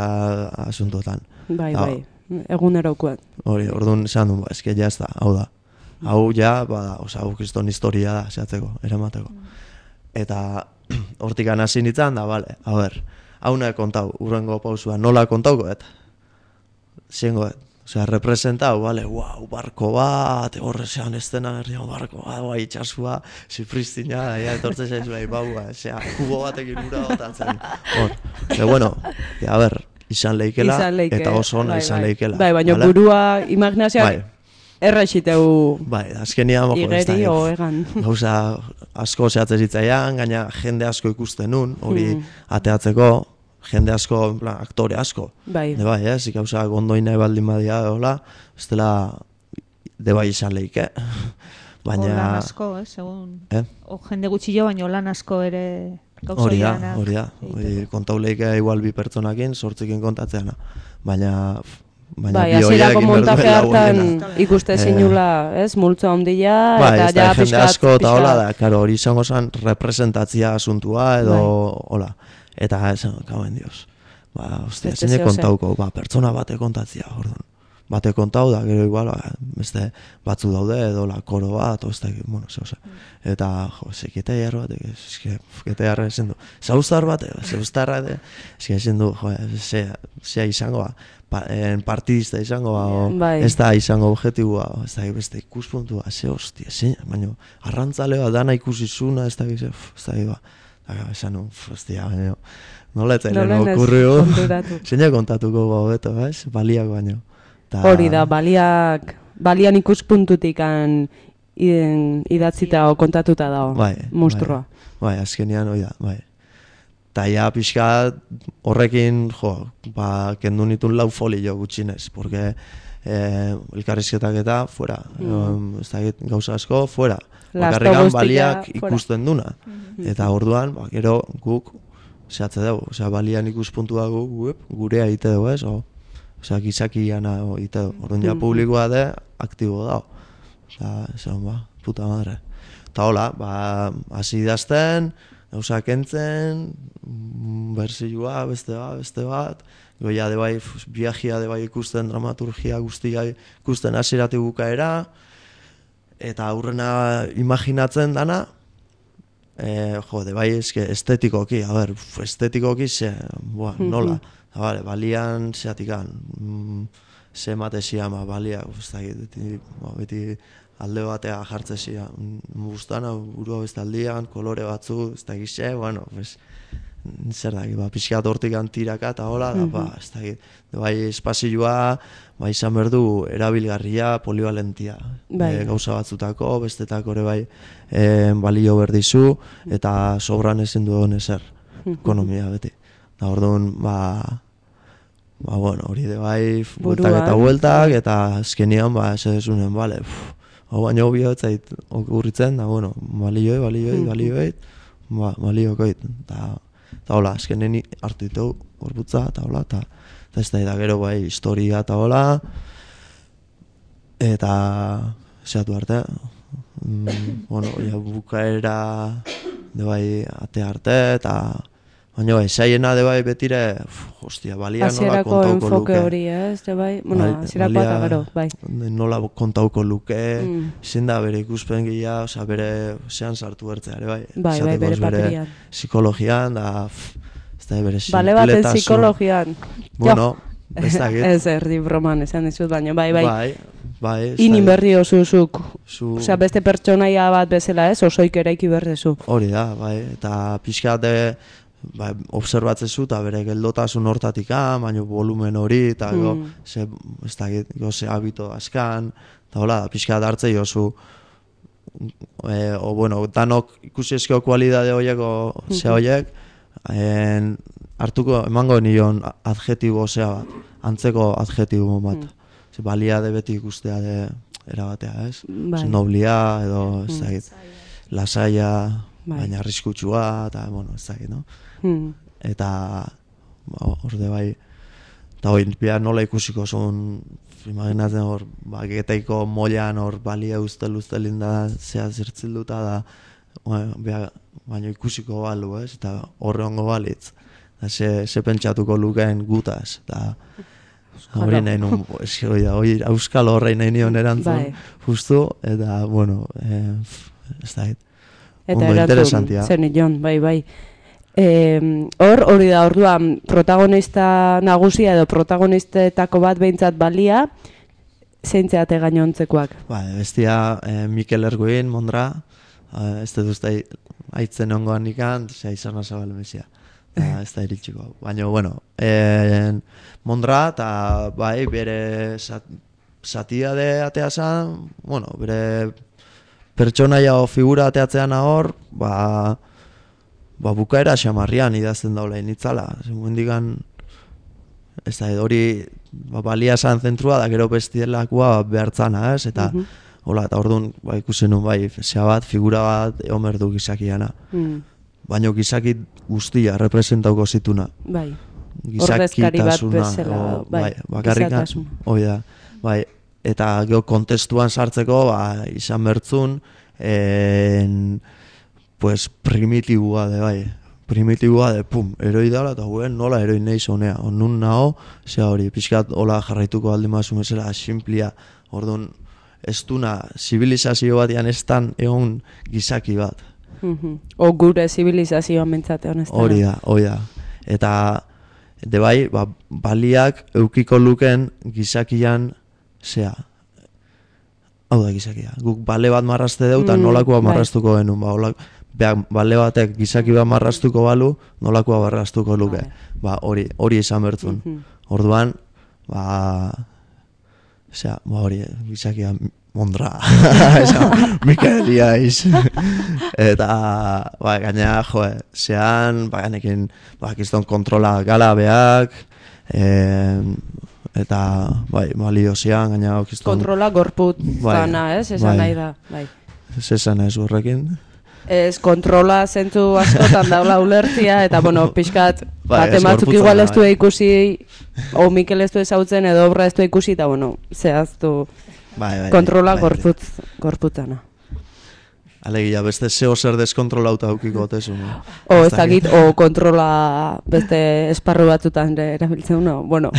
asuntotan. Bai, egunerokoan. Hori, orduan esan du, eske jazta, hau da. Hau ja, hau kriston historia da, zehatzeko, eramateko. Eta hortikan hasi nintzen, da, bale, a ber, hau nahi kontau, urrengo pausua, nola kontauko, ziengo, representau, bale, barko bat, horre zean estena, barko bat, itxasua, zipristina, etortzen zaizu, kubo batekin ura botatzen. Bueno, a ber, izan leikela, eta oso ona izan leikela. Bai, baina burua, imaginazioak, erraixiteu azkenian, igeri o egan. Gauza asko zehatzen zitzaian, gaina jende asko ikusten nun, hori ateatzeko, jende asko, aktore asko. Bai. Ez, gauza gondoin nahi baldin badia, hola, ez dela, debai izan leike. Lan asko, segun. Jende gutxillo, baina lan asko ere gauza ianak. Hori da, kontau leike igual bi pertsonakin, sortzikin kontatzeana. Baina hasierako montaje hartan ikuste zinula, ez, multzo handia, eta ja jende asko eta hola da, karo, hori izango zen representatzia asuntua, edo hola. Eta esan, kauen dios, ostia, zein kontauko, pertsona bate kontatzia, orduan. Bate kontau da, gero igual, beste batzu daude, edo la koro bat, ez da, bueno, zehose. Eta, Getaiar bat, Getaiarra esan du, Zarauztar bat, esan du, zea izango, partidista izango, ez da izango objetibua, ez da beste ikuspuntua, hostia, baina arrantzale bat dana ikusizuna, ez da, esan nu, hostia, baina, nola etzen okurrio, zeina kontatuko beto, baliak baino. Hori da, balian ikuspuntutik idatzita o kontatuta dago, monstrua. Bai, azkenean hori da, bai. Eta ja pixka horrekin, kendu nitun 4 folio gutxinez, porque elkarrizketak eta fuera, ez da gauza asko, fuera. Bakarrikan baliak ikusten duna. Eta orduan, gero guk zehatze dugu, balian ikuspuntua gurea egite dugu, ez? Gizakian egite dugu. Orduan ja publikoa da, aktibo dago. Esan, puta madre. Eta hola, hasi idazten, gauza kentzen, berzioa, beste bat, goia de bai, viajia de bai ikusten, dramaturgia guztia ikusten hasierati bukaera, eta aurrena imaginatzen dana, jode, bai, eske estetikoki, a ber, estetikoki nola, vale, balian zeatikan, ze matezia, balia, beti alde batea jartzezia, guztana, burua bestaldian, kolore batzu, ez da gize, bueno, zer da, pixkat hortik antiraka eta hola, ez da, bai, espazioa, bai, izan berdu, erabilgarria, polivalentia, gauza batzutako, bestetako ere bai, balio berdizu, eta sobran ezin duen ezer, ekonomia beti. Da, orduan, bueno, hori de bai, bueltak, eta azkenian, ez edezunen, bale, hau baina hobio ez zait urritzen, da, bueno, balioet, baliokoit, eta hola, azkenen hartu ditu gorputza, eta hola, eta ez da gero bai, historia eta hola, eta zehatu arte, bueno, bukaera de bai, ate arte, eta baina bai, zaiena de bai betire, hostia, balia nola kontauko luke. Hasierako enfoke hori, de bai, bueno, hasierako eta gero, bai. Nola kontauko luke, izen da bere ikuspen gila, oza, bere zean sartu bertzeare, bai. Bai, bere paperian. Psikologian, da, ez da, bere sinpletasun. Bale baten psikologian. Bueno, ez da, ez erdi broman, esan dizut, baina, bai. Bai, inin berri osuzuk. Osea, beste pertsonaia bat bezala ez, osoik eraiki berdezu. Hori da, bai, eta pixkat obserbatzezu eta bere geldotasun hortatik baina volumen hori, eta ze habito askan, eta hola, pixkat hartzei oso, bueno, danok ikusi ezkeo kualidade horieko ze horiek, hartuko emango nion adjetibo zea bat, antzeko adjetibo bat. Ze baliade beti ikustea de erabatea, ez? Noblia edo, ez dakit, lasaia, baina arriskutsua, eta, bueno, ez dakit, no? Eta, hor de bai, eta hori, nola ikusiko zuen, imaginatzen hor, geteiko moian hor balia ustelin da, zea zertzilduta da, baina ikusiko balu, ez? Eta horre hongo balitz, ze pentsatuko lukeen gutaz, eta hori nahi nun, hori auskal horrein nahi nion erantzun, justu, eta, bueno, ez da, ondo interesantia. Zer nion, bai. Hori da, orduan, protagonista nagusia edo protagonistetako bat behintzat balia, zeintzeate gainontzekoak? Bestia, Mikel Erguin, Mondra, ez dut uste haitzen ongoan ikan, zea izan azabale mesia. Ez da iritxiko. Baina, bueno, Mondra, eta bai, bere satia de ateazan, bueno, bere pertsonaia o figura ateatzean hor, bukaera xamarrian idazten daula initzala. Zemuendikan, ez da, hori balia esan zentrua, da gero bestielakua behartzana, ez? Eta, hola, eta orduan, ikusen nun, zea bat, figura bat, eomerdu gizakiana. Baina gizaki guztia representauko zituna. Bai, ordezkari bat bezala, bakarrikan, hoi da, bai, eta geho kontestuan sartzeko, izan bertzun, pues, primitibua de, bai, eroi dala, eta guen nola eroi nahi zonea, nun naho, zea hori, pixkat hola jarraituko aldi mazu mesela, simplia, orduan, ez duna, zibilizazio batian ez tan egon gizaki bat. O gure zibilizazioa mentzate honetan. Hori da. Eta, de bai, baliak eukiko luken gizakian zea. Hau da gizakia. Guk bale bat marrazte deu, eta nolakoa marraztuko genuen. Bale batek gizaki bat marraztuko balu, nolakoa marraztuko luke. Hori izan bertzun. Orduan, hori, gizakia Mondra, Mikel Iaiz. Eta, gaina, zean, ganekin, kiston kontrola galabeak, eta, balio zean, gaina, kiston... Kontrola gorput zana, esan nahi da, Zesan ez horrekin? Ez, kontrola zentzu askotan daula ulertzia, eta, bueno, pixkat, batematzuk igual ez du ikusi, o Mikel ez du ezautzen, edo obra ez du ikusi, eta, bueno, zehaztu... Kontrola gorputzana. Alegia, beste zeo zer deskontrolauta aukiko otezu. O, ez dakit, o kontrola beste esparru batzutan erabiltzen, bueno,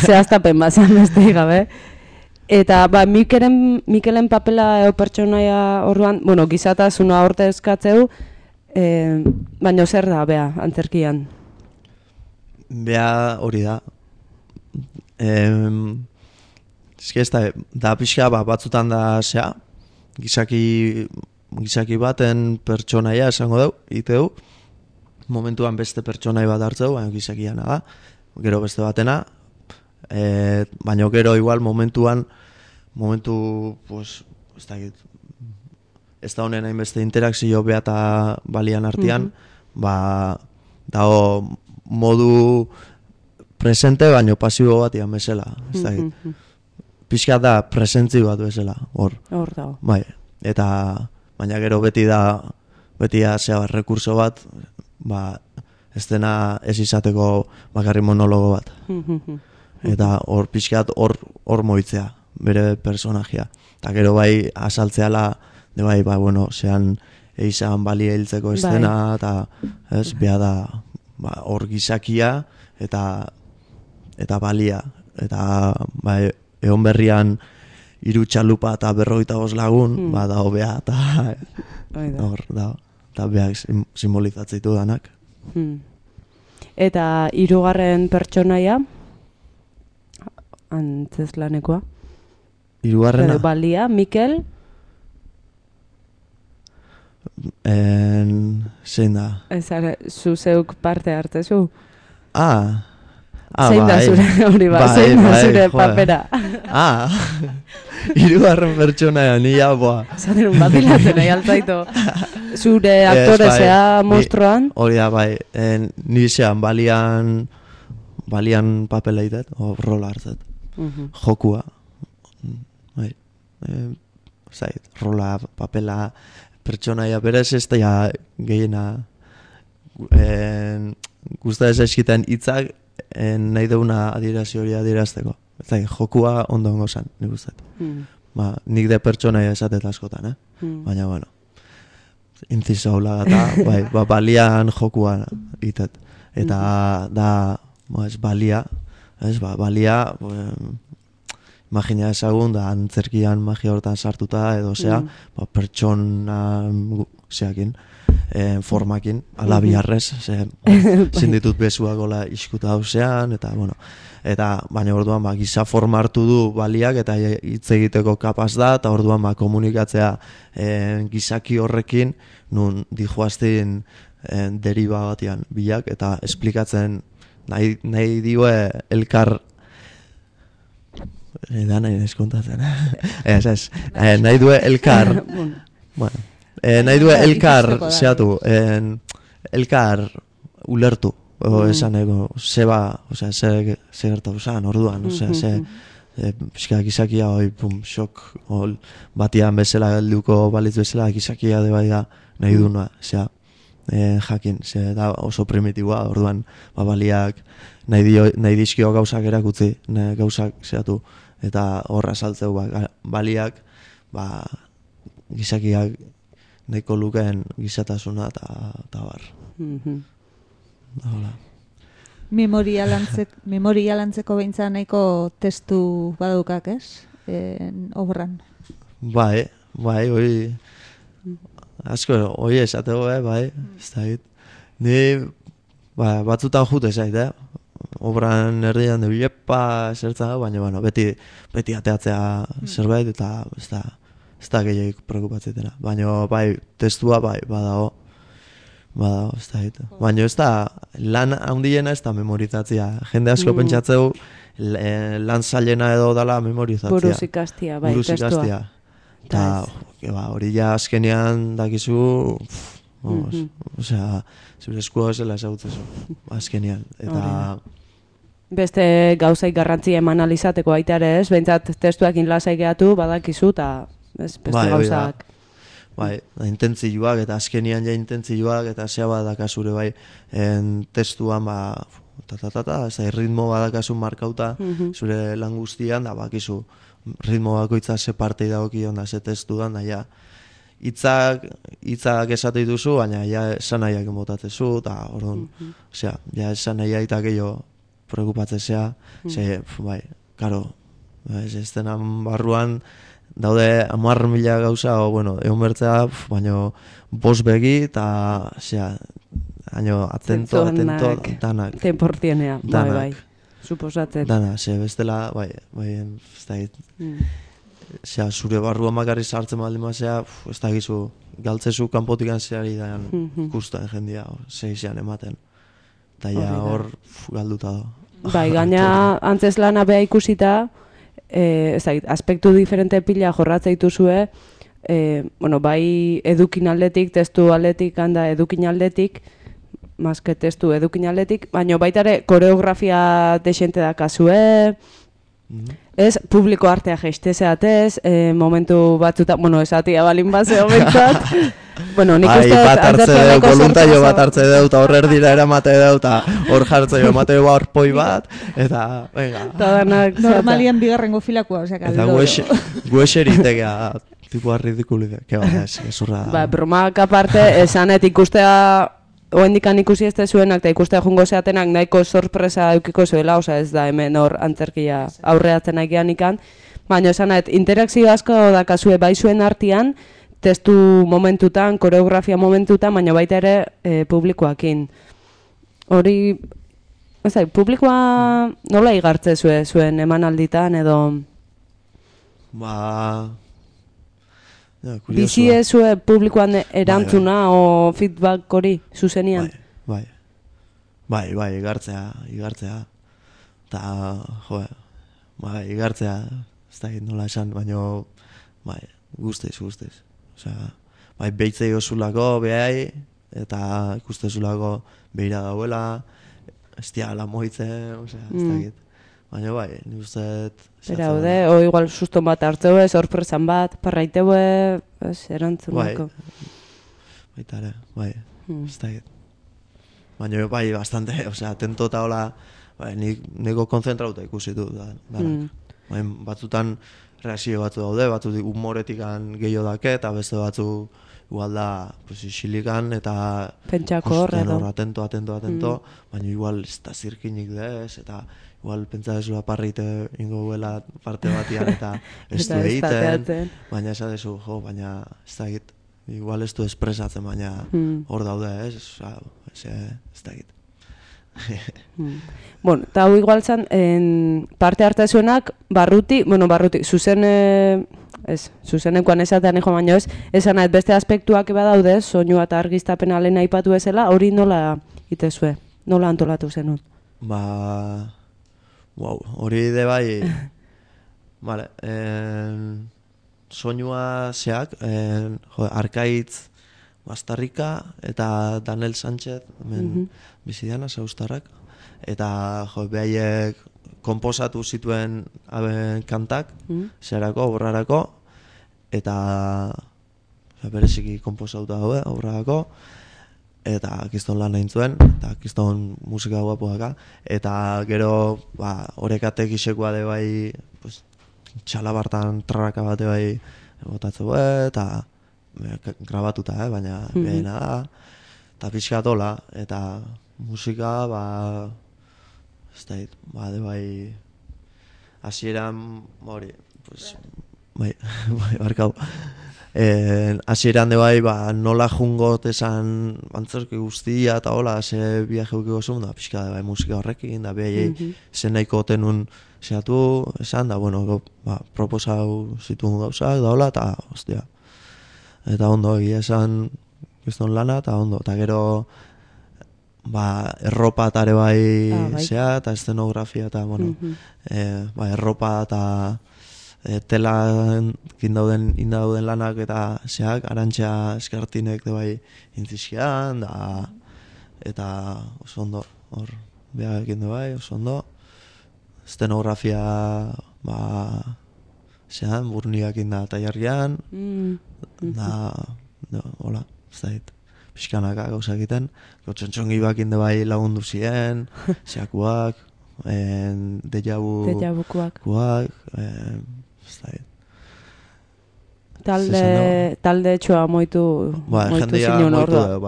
zehaztapen bazan beste gabe. Eta, Mikelen papela pertsonaia orduan, bueno, gizatasuna horte eskatzeu, Baina zer da, bea, antzerkian? Bea hori da. Eske ez da pixka batzutan da zea, gizaki baten pertsonaia esango dugu, iteu, momentuan beste pertsonai bat hartzeu, baina gizakiana da, gero beste batena, baina gero igual momentu, pues, ez da honen hainbeste interakzio bea eta balian artean, dago modu presente baino pasibo bat ian bezala, ez da pixka da presentzi bat bezala, hor dago. Bai, eta baina gero beti da zea rekurso bat, ez dena ez izateko bakarri monologo bat. Eta hor pixkat hor moitzea, bere personajea. Eta gero bai asaltzeala, bueno, zean eizan balia hiltzeko estena, eta ez, beha da hor gizakia eta balia. Eta egon berrian 3 txalupa eta 55 lagun, dago beha, eta hor da. Eta behak simbolizatzeitu danak. Eta 3. pertsonaia, antzeslanekoa? 3. Balia, Mikel? Zein da? Zu zeuk parte hartzezu? Zein da zure hori bat, zein da zure papera? 3. pertsonaia, nila, zaten un batilatzen nahi altzaitu. Zure aktore zea mostroan? Hori da, nire zean balian papela itet, o rola hartzet. Jokua. Rola, papela, pertsonaia berez ez da gehiena guzta ez eskiten hitzak nahi deuna adierazio hori adierazteko. Jokua ondo ongo zan, nik guztat. Nik de pertsonaia esatet askotan, baina, bueno, intziso hola eta balian jokua itet. Eta da, balia, imagina ezagun, da antzerkian magia hortan sartuta, edo zea, pertsona zeakin, formakin, ala biharrez, zinditut bezuak gola iskuta hauzean, eta, bueno, eta baina orduan giza forma hartu du baliak eta hitz egiteko kapaz da, eta orduan komunikatzea gizaki horrekin, nun dijoazten deriba batian bilak, eta esplikatzen nahi diue elkar da nahi neskontatzen. Nahi due elkar nahi due elkar zehatu, elkar ulertu, esan ego, zeba, ze gertatu zan, orduan, pixka gizakia xok batian bezala gelduko balitz bezala, gizakia de bai da nahi duna, jakin, da oso primitiboa, orduan, baliak nahi dizkio gauzak erakutzi, gauzak zehatu, eta horra saltzeu baliak, gizakiak nahiko lukeen gizatasuna eta bar. Memoria lantzeko behintzat nahiko testu badukak, ez? Obran. Bai, hori asko, hori esatego, bai, ez da hit. Ni batzutan jute zait, obran erdian de bilepa zertza, baina beti ateatzea zerbait eta ez da gehiagik preokupatzetena. Baina bai, testua bai, badago, ez da hit. Baina ez da, lan handiena ez da memorizatzia. Jende asko pentsatzeu lan zailena edo dala memorizatzia. Buruz ikastia, bai, testua. Eta hori ja azkenean dakizu, zure eskua zela ezagutzezu, azkenean. Eta beste gauzaik garrantzia eman alizateko baita ere ez, behintzat testuakin lasai gehatu badakizu eta beste gauzak. Bai, intentzioak eta azkenean ja intentzioak eta zea badakazure bai testuan ritmo badakazu markauta zure lan guztian, da bakizu ritmo bakoitza ze partei dagokion da ze testuan, da ja hitzak esate dituzu, baina ja esan nahiak botatzezu, eta orduan, ja esan nahiak eta gehiago preokupatzea, bai, karo, Ez denan barruan daude 10.000 gauza, o, bueno, egon bertzea, baina 5 begi, eta, haino, atento, danak. Temportienea, bai. Suposatzen. Dana, bestela, bai, ez da hit. Zure barruan makarri sartzen baldin mazea, ez da gizu, galtzezu kanpotikan zeari daian ikusten jendia, segizean ematen. Eta ja hor galduta da. Bai, gaina antzes lana beha ikusita, aspektu diferente pila jorratza dituzue, bai edukin aldetik, testu aldetik, handa edukin aldetik, maske testu edukin aldetik, baina baita ere koreografia desente da kasue, ez, publiko artea jeiste zeatez, momentu batzuta, esatia balin bazeo bentzat, nik uste... bat hartze deu, voluntario bat hartze deu, eta horrer dira eramate deu, eta hor jartze deu, emate deu arpoi bat, eta, venga. Normalian bigarrengo filakoa, osea, kaldo. Eta guexeritekea, tipua ridikulik, ezurra da. Bromak aparte, esanet ikustea, oendikan ikusi ez zuenak, eta ikustea jungo zeatenak nahiko sorpresa eukiko zuela, osea ez da hemen hor antzerkia aurreatzen aigean ikan, baina esanet, interakzio asko dakazue bai zuen artean, testu momentutan, koreografia momentutan, baina baita ere publikoakin. Hori, publikoa nola igartze zuen emanalditan edo... Bizi ezue publikoan erantzuna o feedback hori, zuzenian? Bai, igartzea. Eta, igartzea, ez da nola esan, baina, guztiz. Osea, behitzei osulako behai, eta ikustezulako behira dauela, ez diala moitzen, osea, ez da git. Baina ni usteet... Bera, o igual suston bat hartzeue, sorpresan bat, parraiteue, erantzunako. Baita ere, ez da git. Baina bastante, osea, atento eta hola, nego konzentrauta ikusi du, batzutan reakzio batzu daude, batzu humoretikan gehiago dake, eta beste batzu igual da, isilikan, eta pentsako horre, atento, baina igual ez da zirkinik dez, eta igual pentsa dezu aparrite ingo guela parte batian, eta ez du egiten, baina esan dezu, baina ez da egit, igual ez du espresatzen, baina hor daude, ez da egit. Eta hau igual zan, parte hartazuenak, barruti, zuzenekoan esatean eko baino ez, esan nahi beste aspektuak eba daude, soinua eta argiztapena lehen aipatu ezela, hori nola itezue, nola antolatu zenut? Hori de bai, soinua zeak, Arkaitz Bastarrika eta Daniel Sánchez, bizidiana, zaustarrak, eta behaiek komposatu zituen kantak, zerako, obrarako, eta bereziki komposatuta daude, obrarako, eta kiston lan egin zuen, eta kiston musika guapoaka, eta gero horrekatek isekoa de bai, txalabartan trarraka bate bai botatzeu, eta grabatuta, baina behena da, eta pixkatola, eta musika, ez da hit, de bai, hasieran, hori, barkau, hasieran de bai, nola jungot esan antzerki guztia, eta hola, ze biajeukiko zuen, da pixka de bai musika horrekin, da behai, zen nahiko tenun zehatu, esan, da, proposau zituen gauzak, da hola, eta, ostia, eta ondo, egia esan, gizton lana, eta ondo, eta gero, erropa eta ere bai zea, eta eszenografia, eta, erropa eta tela indauden lanak eta zeak, Arantxa Eskartinek de bai intzizkian, eta oso ondo, hor, behar ekin de bai, oso ondo, eszenografia, zean, burniak inda taiarrian, hola, ez da hit. Piskanaka gauza egiten, txontxongi bakinde bai lagundu ziren, zeakuak, dejabukuak, ez da hit. Talde txoa moitu zinun orduan.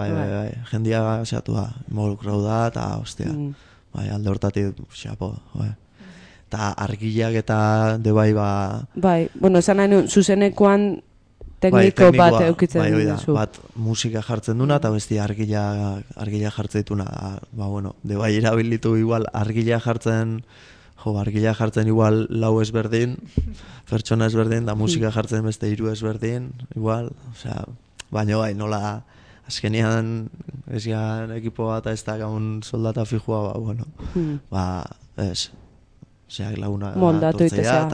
Jendia zeatu da, involukrau da, eta hostia, alde hortatik xapo, eta argiak eta debai Bai, bueno, esan nahi nuen, zuzenekoan tekniko bat eukitzen duzu. Bat musika jartzen duna eta besti argila jartzen dituna. Bueno, debai erabilitu igual argila jartzen igual lau ezberdin, pertsona ezberdin, da musika jartzen beste 3 ezberdin, igual, osea, baina bai, nola azkenian ezian ekipo bat ez da gaun soldata fijua, bueno, ez, osea, laguna moldatu tortzea,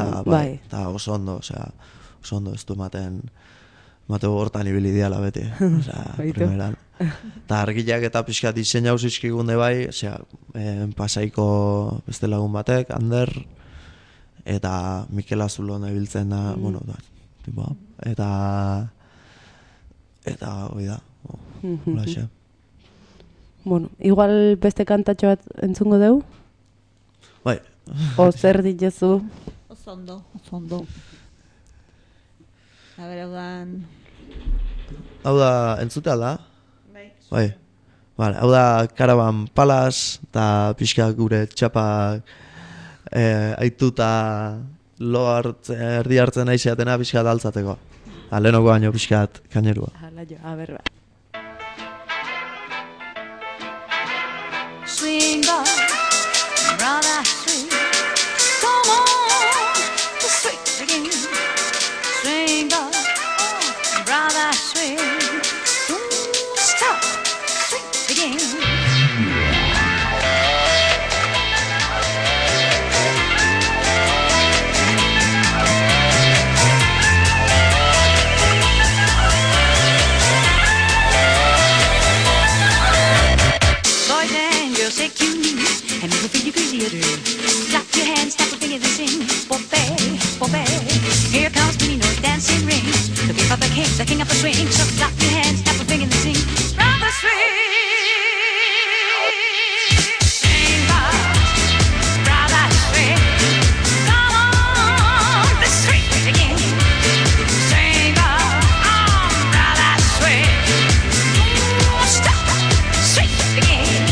eta oso ondo, ez du ematen hortan ibili diala beti, osea, primeran. Eta argilak eta pixka diseinau zizkigunde bai, osea, Pasaiko beste lagun batek, Ander, eta Mikel Azulon ebiltzen da, bueno, eta hoi da, holaxe. Bueno, igual beste kantatxo bat entzungo dugu? Bai. O zer ditezu? Oso ondo. A ber, hau da, entzute alda? Bai. Vale, hau da Caravan Palace, eta pixka gure txapa aituta erdi hartzen aizeatena pixka daltzateko. Lehenoko baino pixkat kainerua. A ber, Swing on, brother, swing. Come on, the swing again. Swing on, brother, swing. Don't stop, swing again. Take you and make me feel you crazy to clap your hands, snap your fingers and sing. Bobby, Bobby, here comes Pino dancing rings. Looking for the king of the swing. So clap your hands, snap your fingers and sing. Round the swing. Sing round the swing. Come on, the swing again. Sing round the swing. Stop, swing again.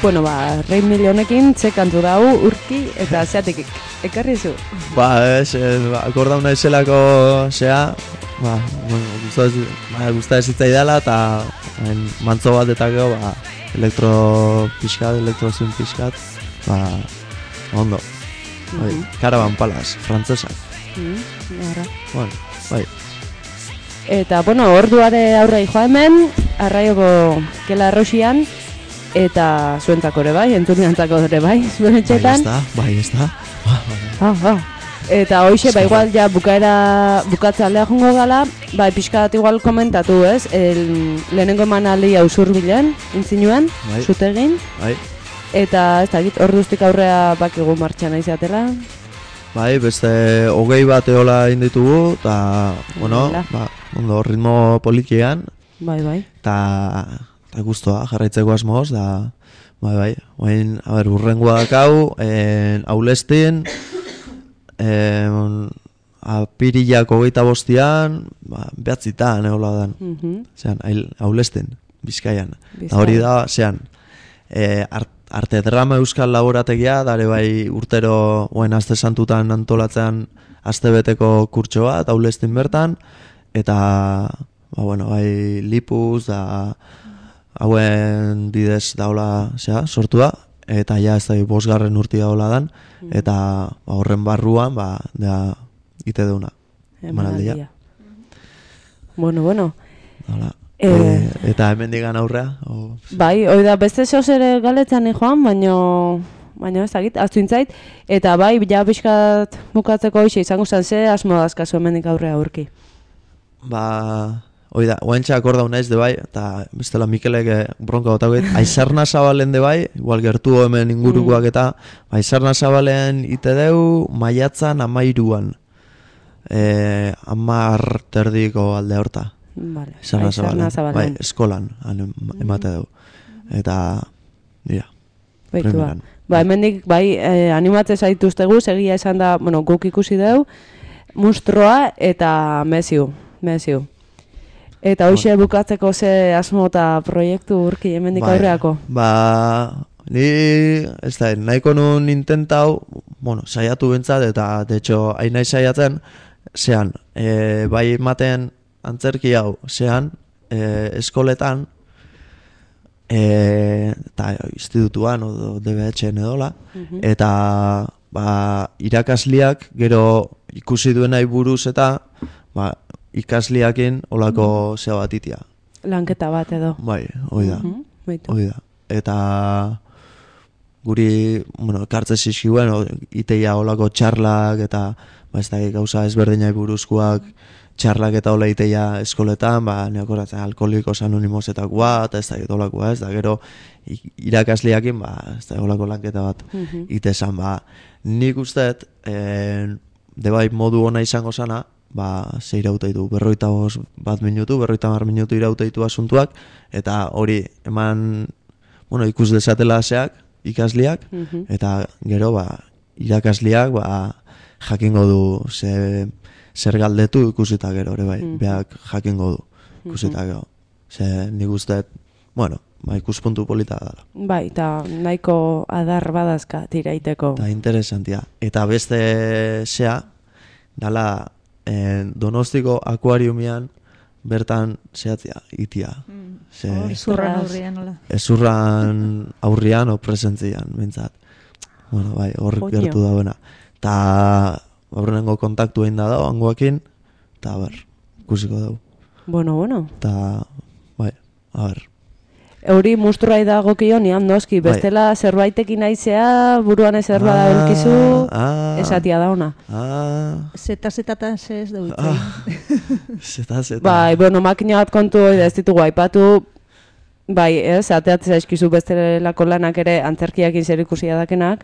Bueno, Rei Milionekin kantu dau urki eta zeatik ekarri zu. Akordau naizelako gusta ez zitzaidala eta mantzo bat eta gero elektrozin pixkat, ondo. Caravan Palace, frantzesak. Bueno, bai. Eta, bueno, orduare aurrei joa hemen, arraioko Kela Arrosian, eta zuentzako ere bai, entzuniantzako ere bai, zuen etxetan. Bai, ez da. Eta hoxe, igual ja bukatza aldea jongo gala, pixkat igual komentatu, ez? Lehenengo emanaldi Usurbilen, intzinuen, zutegin. Bai. Eta, ez da, orduztik aurrea bakigu martxan izatela. Bai, beste 20 bat eola inditugu, eta, bueno, ondo, ritmo politian. Bai. Eta guztua, jarraitzeko asmoz, da, bai, urrengoa dakau, aulestin, apirilak 25an, behatzitan, hola dan. Zean, aulestin, Bizkaian. Eta hori da, zean, arte drama euskal laborategia, dare bai urtero, aste santutan antolatzean astebeteko kurtsoa, eta aulestin bertan, eta, bai, lipuz, da, hauen bidez daula sortua, eta ja ez da 5. urtia hola dan, eta horren barruan, da, ite deuna. Emanaldia. Bueno. Hola. Eta hemen digan aurrea? Bai, hoi da, beste zoz ere galetzan joan, baina ez dakit, aztu intzait, eta bai, ja pixkat bukatzeko hoxe izango zen, ze asmo dazkazu hemendik aurrea aurki? Hoi da, oaintxa akordau naiz de bai, eta bestela Mikelek bronka gotagoet, Aizarna Zabalen de bai, igual gertu hemen ingurukoak eta, Aizarna Zabalen ite deu, maiatzan 13an, 10 terdiko alde horta. Vale. Aizarna Zabalen. Bai, eskolan emate dugu. Eta, dira, premieran. Hemendik, animatzen zaituztegu, segia esan da, guk ikusi dugu, Mustroa eta Mesiu. Eta hoxe bukatzeko ze asmo eta proiektu urki hemendik aurreako? Ni, ez da, nahiko nun intentau, saiatu bentsat, eta, de hecho, hain nahi saiatzen, zean, bai ematen antzerki hau, zean, eskoletan, eta institutuan, o DBH-en edola, eta, irakasliak, gero ikusi duenai buruz eta, ikasliakin olako zea bat itia. Lanketa bat edo. Bai, hoi da. Eta guri, ekartze zizkibuen, iteia olako txarlak eta ez da gauza ezberdinai buruzkoak txarlak eta hola iteia eskoletan, neakoratzen alkoholikos anonimosetakoa, eta ez da olakoa, ez da gero irakasliakin, ez da olako lanketa bat itezan, nik usteet, debai modu ona izango sana, ze irauteitu, 51 minutu, 50 minutu irauteitu asuntuak, eta hori eman, ikus desatela zeak, ikasliak, eta gero, irakasliak, jakingo du zer galdetu ikusita gero, ere bai, beak jakingo du ikusita gero. Nik usteet, ikuspuntu polita dela. Bai, eta nahiko adar badazka tiraiteko. Eta interesantia. Eta beste zea, dala, Donostiko akuariumian bertan zehatzia, itia. Ezurran aurrian, nola? Ezurran aurrian o presentzian, bintzat. Hor gertu dauena. Eta aurrenengo kontaktu egin da dago, hangoakin, eta ikusiko dugu. Bueno. Eta, Euri Mustroa idagokio nian noski, bestela zerbaitekin naizea, buruan ezer bada belkizu, esatia da ona. Zeta-zetatan ez dugu itzain. Zeta-zeta. Makina bat kontu hori da ez ditugu aipatu, ateatzea eskizu bestelako lanak ere antzerkiakin zer ikusia dakenak.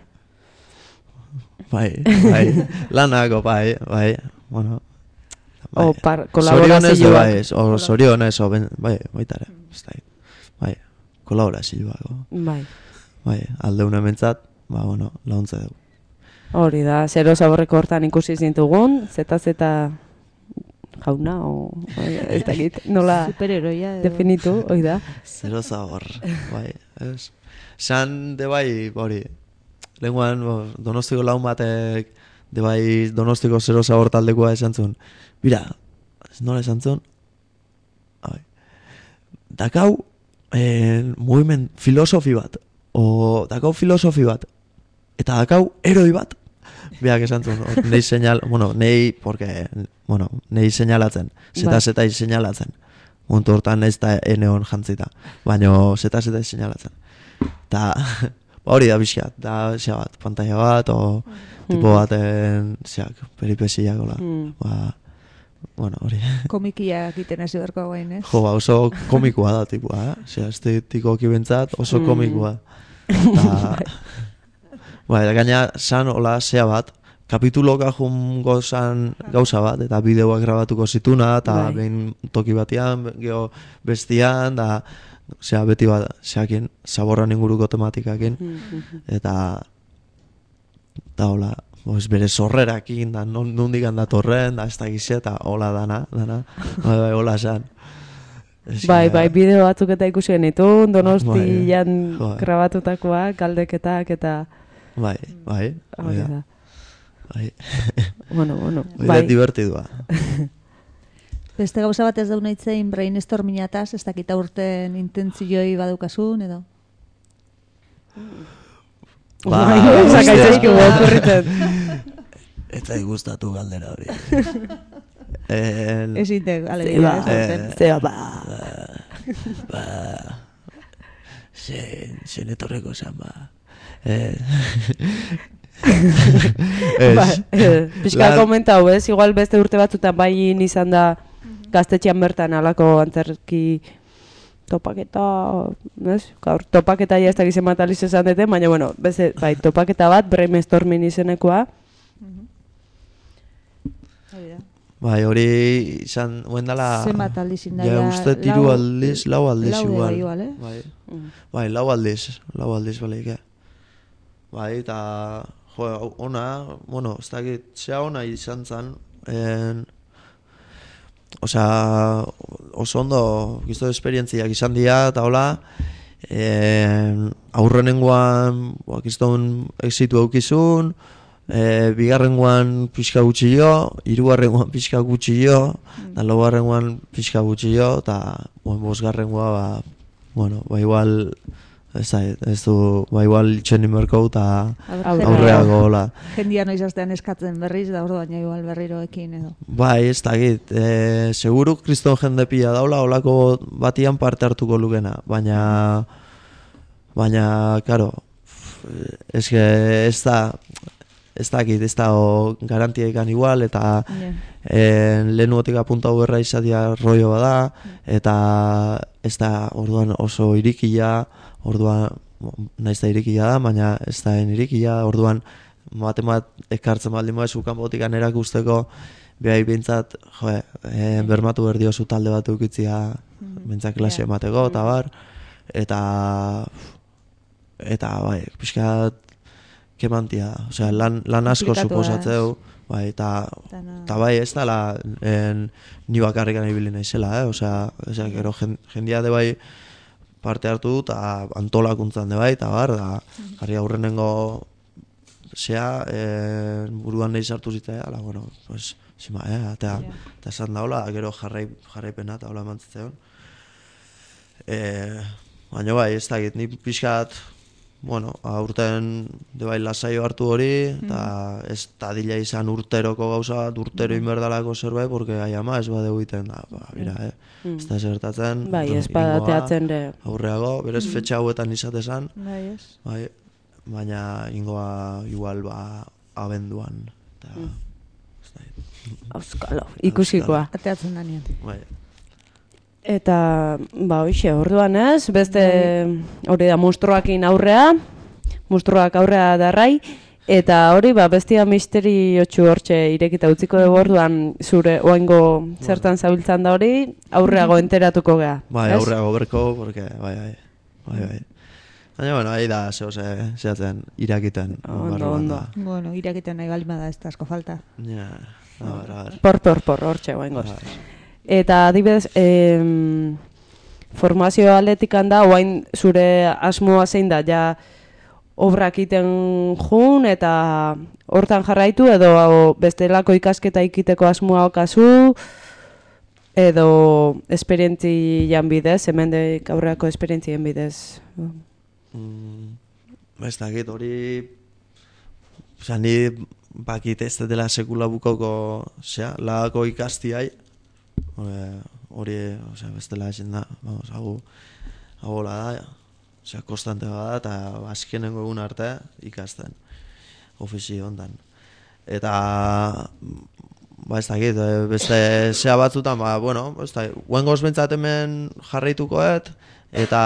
Lanako, kolaborazioak. Zorionez, baitare, ez da. Kolaborazioako. Aldeuna mentzat, launtza dugu. Hori da, zero zaborreko hortan ikusi zintugun, zeta jauna, ez dakit, nola definitu, hori da. Zero zabor, Zan, de hori, lehenguan, Donostiko laun batek, de Donostiko zero zabor taldekoa esan zuen. Bira, nola esan zuen? Dakau, mugimen filosofi bat, dakau filosofi bat, eta dakau eroi bat, beak esan zuen, nei señalatzen, zeta señalatzen, mundu hortan ez da eneon jantzita, baina zeta señalatzen. Eta hori da bizkat, da zea bat, pantalla bat, o tipo baten, peripesiak, hori. Komikia egiten hasi berko gain, ez? Oso komikoa da, tipua, estetikoki bentzat, oso komikoa. Da gaina, san hola zea bat, kapituloka jungo zan gauza bat, eta bideoak grabatuko zituna, eta behin toki batian, geho bestian, da, osea, beti bat, zeakin, zaborran inguruko tematikakin, eta hola, bere sorrerakin, da, nondik handatorren, da, ez da gize, eta hola dana, hola zan. Bai, bideo batzuk eta ikusi genitun, Donostian grabatutakoak, galdeketak, eta... Bai. Bueno. Bai. Divertidua. Beste gauza bat ez dauna itzein brainstormingataz, ez dakita urten intentzioi badukasun, edo? Sakaitzezki okurritzen. Eta igustatu galdera hori. Ez intek, alegia. Zen etorreko zan, Piskal komentau, ez? Igual beste urte batzutan bai izan da gaztetxean bertan alako antzerki topaketa, ez? Gaur, topaketa ja ez da gizen mataliz esan dute, baina, bueno, beste, bai, topaketa bat, brainstorming izenekoa. Bai, hori izan, huendala... Zenbat aldiz inda, ja, uste tiru aldiz, lau aldiz igual. Igual, Bai, lau aldiz, baleik, Bai, eta, ona, bueno, ez dakit, zea ona izan zen, osea, oso ondo, gizto esperientziak izan dira, eta hola, aurrenengoan, gizton exitu eukizun, bigarrengoan pixka gutxillo, hirugarrengoan pixka gutxillo, eta laugarrengoan pixka gutxillo, eta bosgarrengoa, igual, ez du, igual itxen inberko, eta aurreago, hola. Jendia noiz astean eskatzen berriz, da orduan igual berriroekin, edo. Bai, ez dakit, seguru kriston jende pila daula, holako batian parte hartuko lukena, baina, karo, ez dakit, ez da garantiaikan igual, eta lehenuotik apuntau berra izatea rollo bada, eta ez da orduan oso irikia, orduan naiz da irikia da, baina ez da irikia, orduan bat ekartzen baldin moa esukan botikan erakusteko, behai bintzat, bermatu berdiozu talde bat eukitzia, bintzat klase emateko, eta bar, eta bai, pixkat, kemantia, osea, lan asko suposatzeu, bai, eta bai, ez dala ni bakarrikan ibili naizela, osea, gero jendia de bai parte hartu dut, eta antolakuntzan de bai, eta bar, da, jarri aurrenengo zea, buruan nahi sartu zitea, ala, bueno, pues, zima, eta esan daula, gero jarraipena, eta hola mantzitzen. Baina bai, ez dakit, ni pixkat, bueno, aurten de bai lasaio hartu hori, eta ez tadila izan urteroko gauza bat, urtero inberdalako zerbait, porque ai ama ez badeu iten, mira, ez da zertatzen. Bai, ez badateatzen de. Aurreago, berez fetxa hauetan izatezan, bai, baina ingoa igual abenduan, eta ez da. Auskalo, ikusikoa. Ateatzen danean. Bai. Eta, hoxe, orduan ez, beste hori da monstruakin aurrea, monstruak aurrea darrai, eta hori, bestia misteriotxu hortxe irekita utziko dugu orduan zure oaingo zertan zabiltzan da hori, aurreago enteratuko gea. Bai, aurreago berko, porque, bai. Baina, bueno, ahi da, zehatzen, irakiten. Ondo. Bueno, irakiten nahi balima da, ez da asko falta. Ja, Por, hortxe oaingoz. Eta adibidez, formazio atletikan da, oain zure asmoa zein da, ja obrak iten jun, eta hortan jarraitu, edo bestelako ikasketa ikiteko asmoa okazu, edo esperientzian bidez, hemendik aurreako esperientzien bidez. Ez dakit, hori, ni bakit ez dela sekula bukoko, lagako ikastiai, hori, bestela ezin da, hau da, konstante bada, eta azkenengo egun arte ikasten, ofizio hontan. Eta, ez dakit, beste zea batzutan, bueno, huengoz bentsat hemen jarraitukoet, eta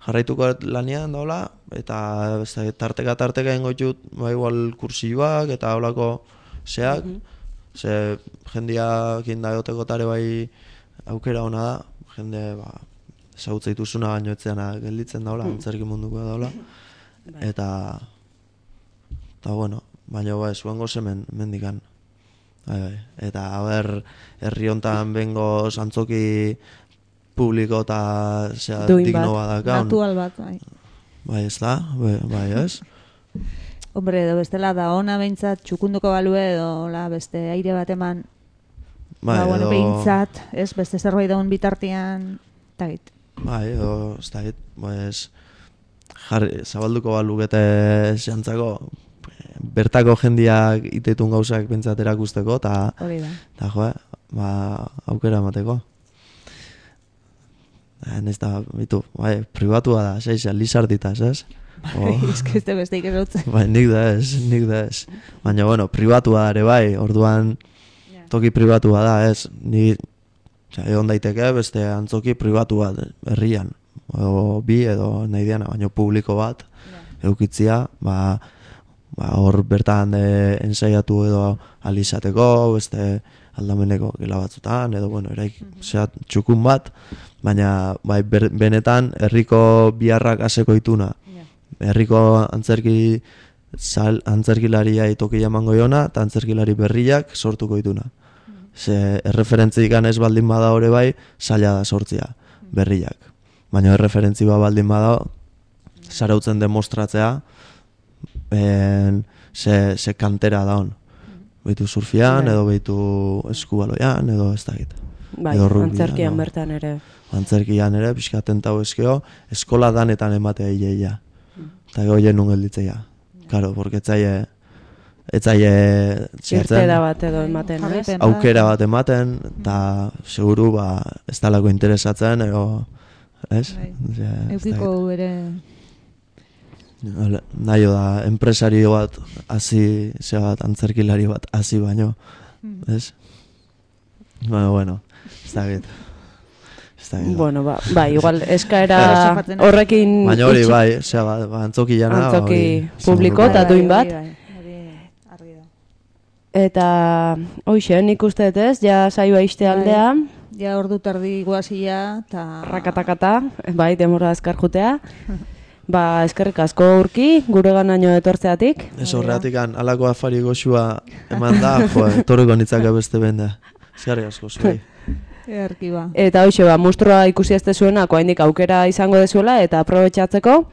jarraituko lanean daula, eta tarteka ingo ditut, igual kursioak eta holako zeak, ze jendiak inda egoteko tare bai aukera ona da, jende ezagutza dituzuna baino etzeana gelditzen daula, antzerki munduko daula, eta bueno, baina zuengo zemen mendikan. Eta herri hontan bengo antzoki publiko eta digno badakaun. Natural bat, bai. Bai, ez da, bai, ez? Hombre, edo bestela da ona behintzat txukunduko balue edo beste aire bat eman bueno, behintzat, ez, beste zerbait daun bitartian, eta git. Bai, edo, ez da git, zabalduko balukete xantzako, bertako jendiak itetun gauzak pentsat erakusteko, eta jo, aukera emateko. Ez da, bitu, pribatua da, lizarditaz, ez? Ez que ez besteik erotzen. Nik da ez. Baina, bueno, pribatua da ere bai, orduan toki pribatua da, ez? Ni egon daiteke beste antzoki pribatu bat herrian, edo bi edo nahi diana, baina publiko bat eukitzia, hor bertan ensaiatu edo alizateko, beste aldameneko gela batzutan, edo bueno, txukun bat, baina benetan herriko biharrak aseko ituna. Herriko antzerkilaria tokia emango jona, eta antzerkilari berriak sortuko ituna. Ze erreferentzik ganez baldin bada hori bai, zaila da sortzia, berriak. Baina erreferentzi baldin bada, zarautzen demostratzea, ze kantera da hon. Beitu surfian, edo beitu eskubaloian, edo ez da gita. Bai, antzerkian bertan ere. Antzerkian ere, pixkaten tau eskeo, eskola danetan ematea hileia. Eta goien nun gelditzea. Karo, porque etzaie irteda bat edo ematen, ez? Aukera bat ematen, eta seguru ez talako interesatzen, ez? Eukiko ere... Naio da, enpresario bat hasi, antzerkilari bat hasi baino, ez? Bueno, ez da git. Bueno, igual eskaera horrekin... Baina hori, antzoki jana... Antzoki publiko eta duin bat. Eta, hoxe, nik uste ez, ja saioa iste aldea. Ja ordu tardi guazia, eta... Rakatakata, demora azkar jutea. Eskerrik asko urki, gure ganaino etortzeatik. Ez horreatik, alako afari goxua eman da, torriko nitzaka beste benda. Eskerrik asko, zuei. Eta hoxe, monstrua ikusi ezte zuenak, oraindik aukera izango dezuela, eta aprobetxatzeko,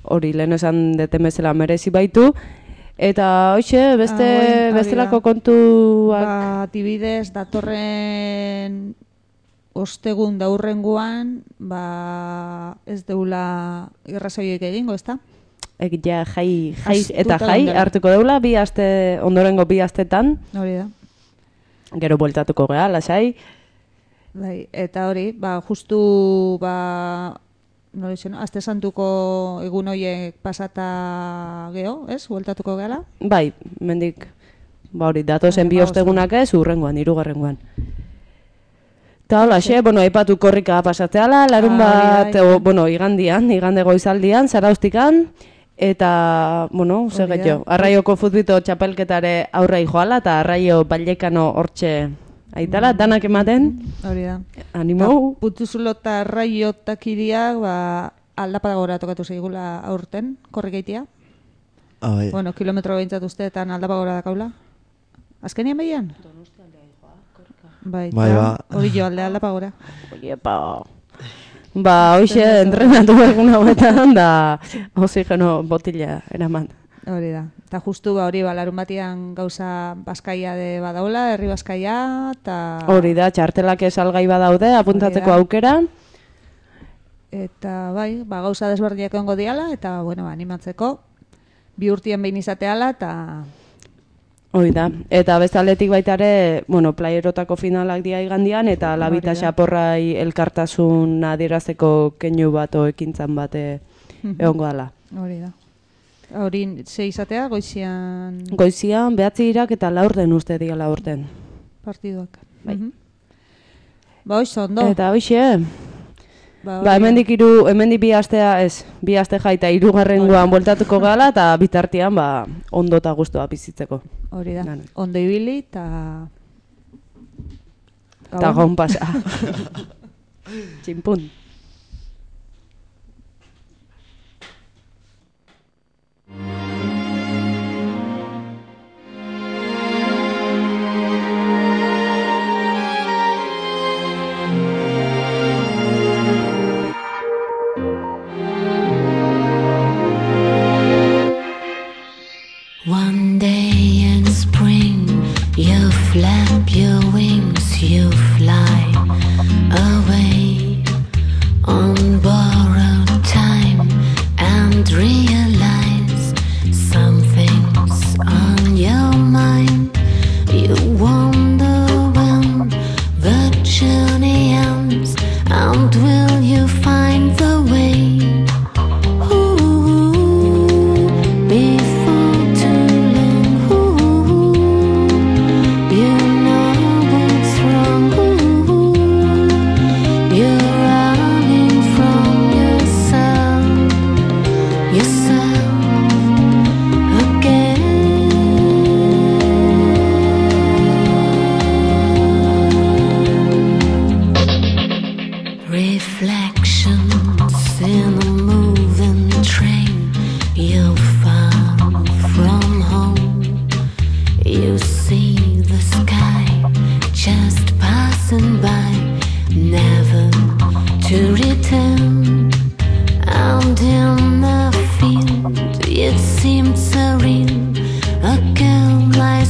hori lehen esan detemezela merezi baitu, eta hoxe, bestelako kontuak... Tibidez, datorren ostegun daurrenguan, ez deula irrazoiek egingo, ez da? Ja, jai hartuko deula, ondorengo 2 astetan. Hori da. Gero bueltatuko geha, lasai. Bai, eta hori, justu, aste santuko egun horiek pasata geho, ez? Bueltatuko gehala? Bai, mendik, hori, datozen 2 ostegunak ez, urrengoan, 3. Eta hola, aipatu korrika pasatzeala, larun bat, igande goizaldian, zarauztikan, eta, segetxo, Arraioko futbito txapelketare aurrai joala, eta Arraio Ballekano hortxe aitala, danak ematen. Hori da. Animau. Putuzulo eta Arraio takiriak, aldapagora tokatu zeigula aurten, korrik eitia. Bueno, kilometro behintzat usteetan aldapagora dakaula. Azkenian behian? Bai, hori jo aldapagora. Oiepa. Hoxe, entrenatu egun hauetan, da oxigeno botila eraman. Hori da. Eta justu hori larun batian gauza Baskaia de badaula, herri Baskaia, eta... Hori da, txartelak salgai badaude, apuntatzeko aukera. Eta gauza desberdiak ongo diala, eta, animatzeko. 2 urtien behin izateala, eta... Hori da, eta bestaletik baita ere, playerotako finalak dia igandian, eta labita xaporrai elkartasun adierazeko keinu bat ekintzan bat egongo dala. Hori da. Hori ze izatea, goizian... Goizian, 9 eta 4 uste diala urten. Partiduak. Bai. Hoxe, ondo. Eta hoxe, hemendik bi astea bi aste jaita 3. bueltatuko gala eta bitartean ondo eta gustoa bizitzeko. Hori da. Ondo ibili eta gaun pasa. Txinpun. One day in spring, you flap your wings, you fly away on borrowed time and realize something's on your mind. You wonder when the journey ends, and will you find the way? It seemed surreal, a girl like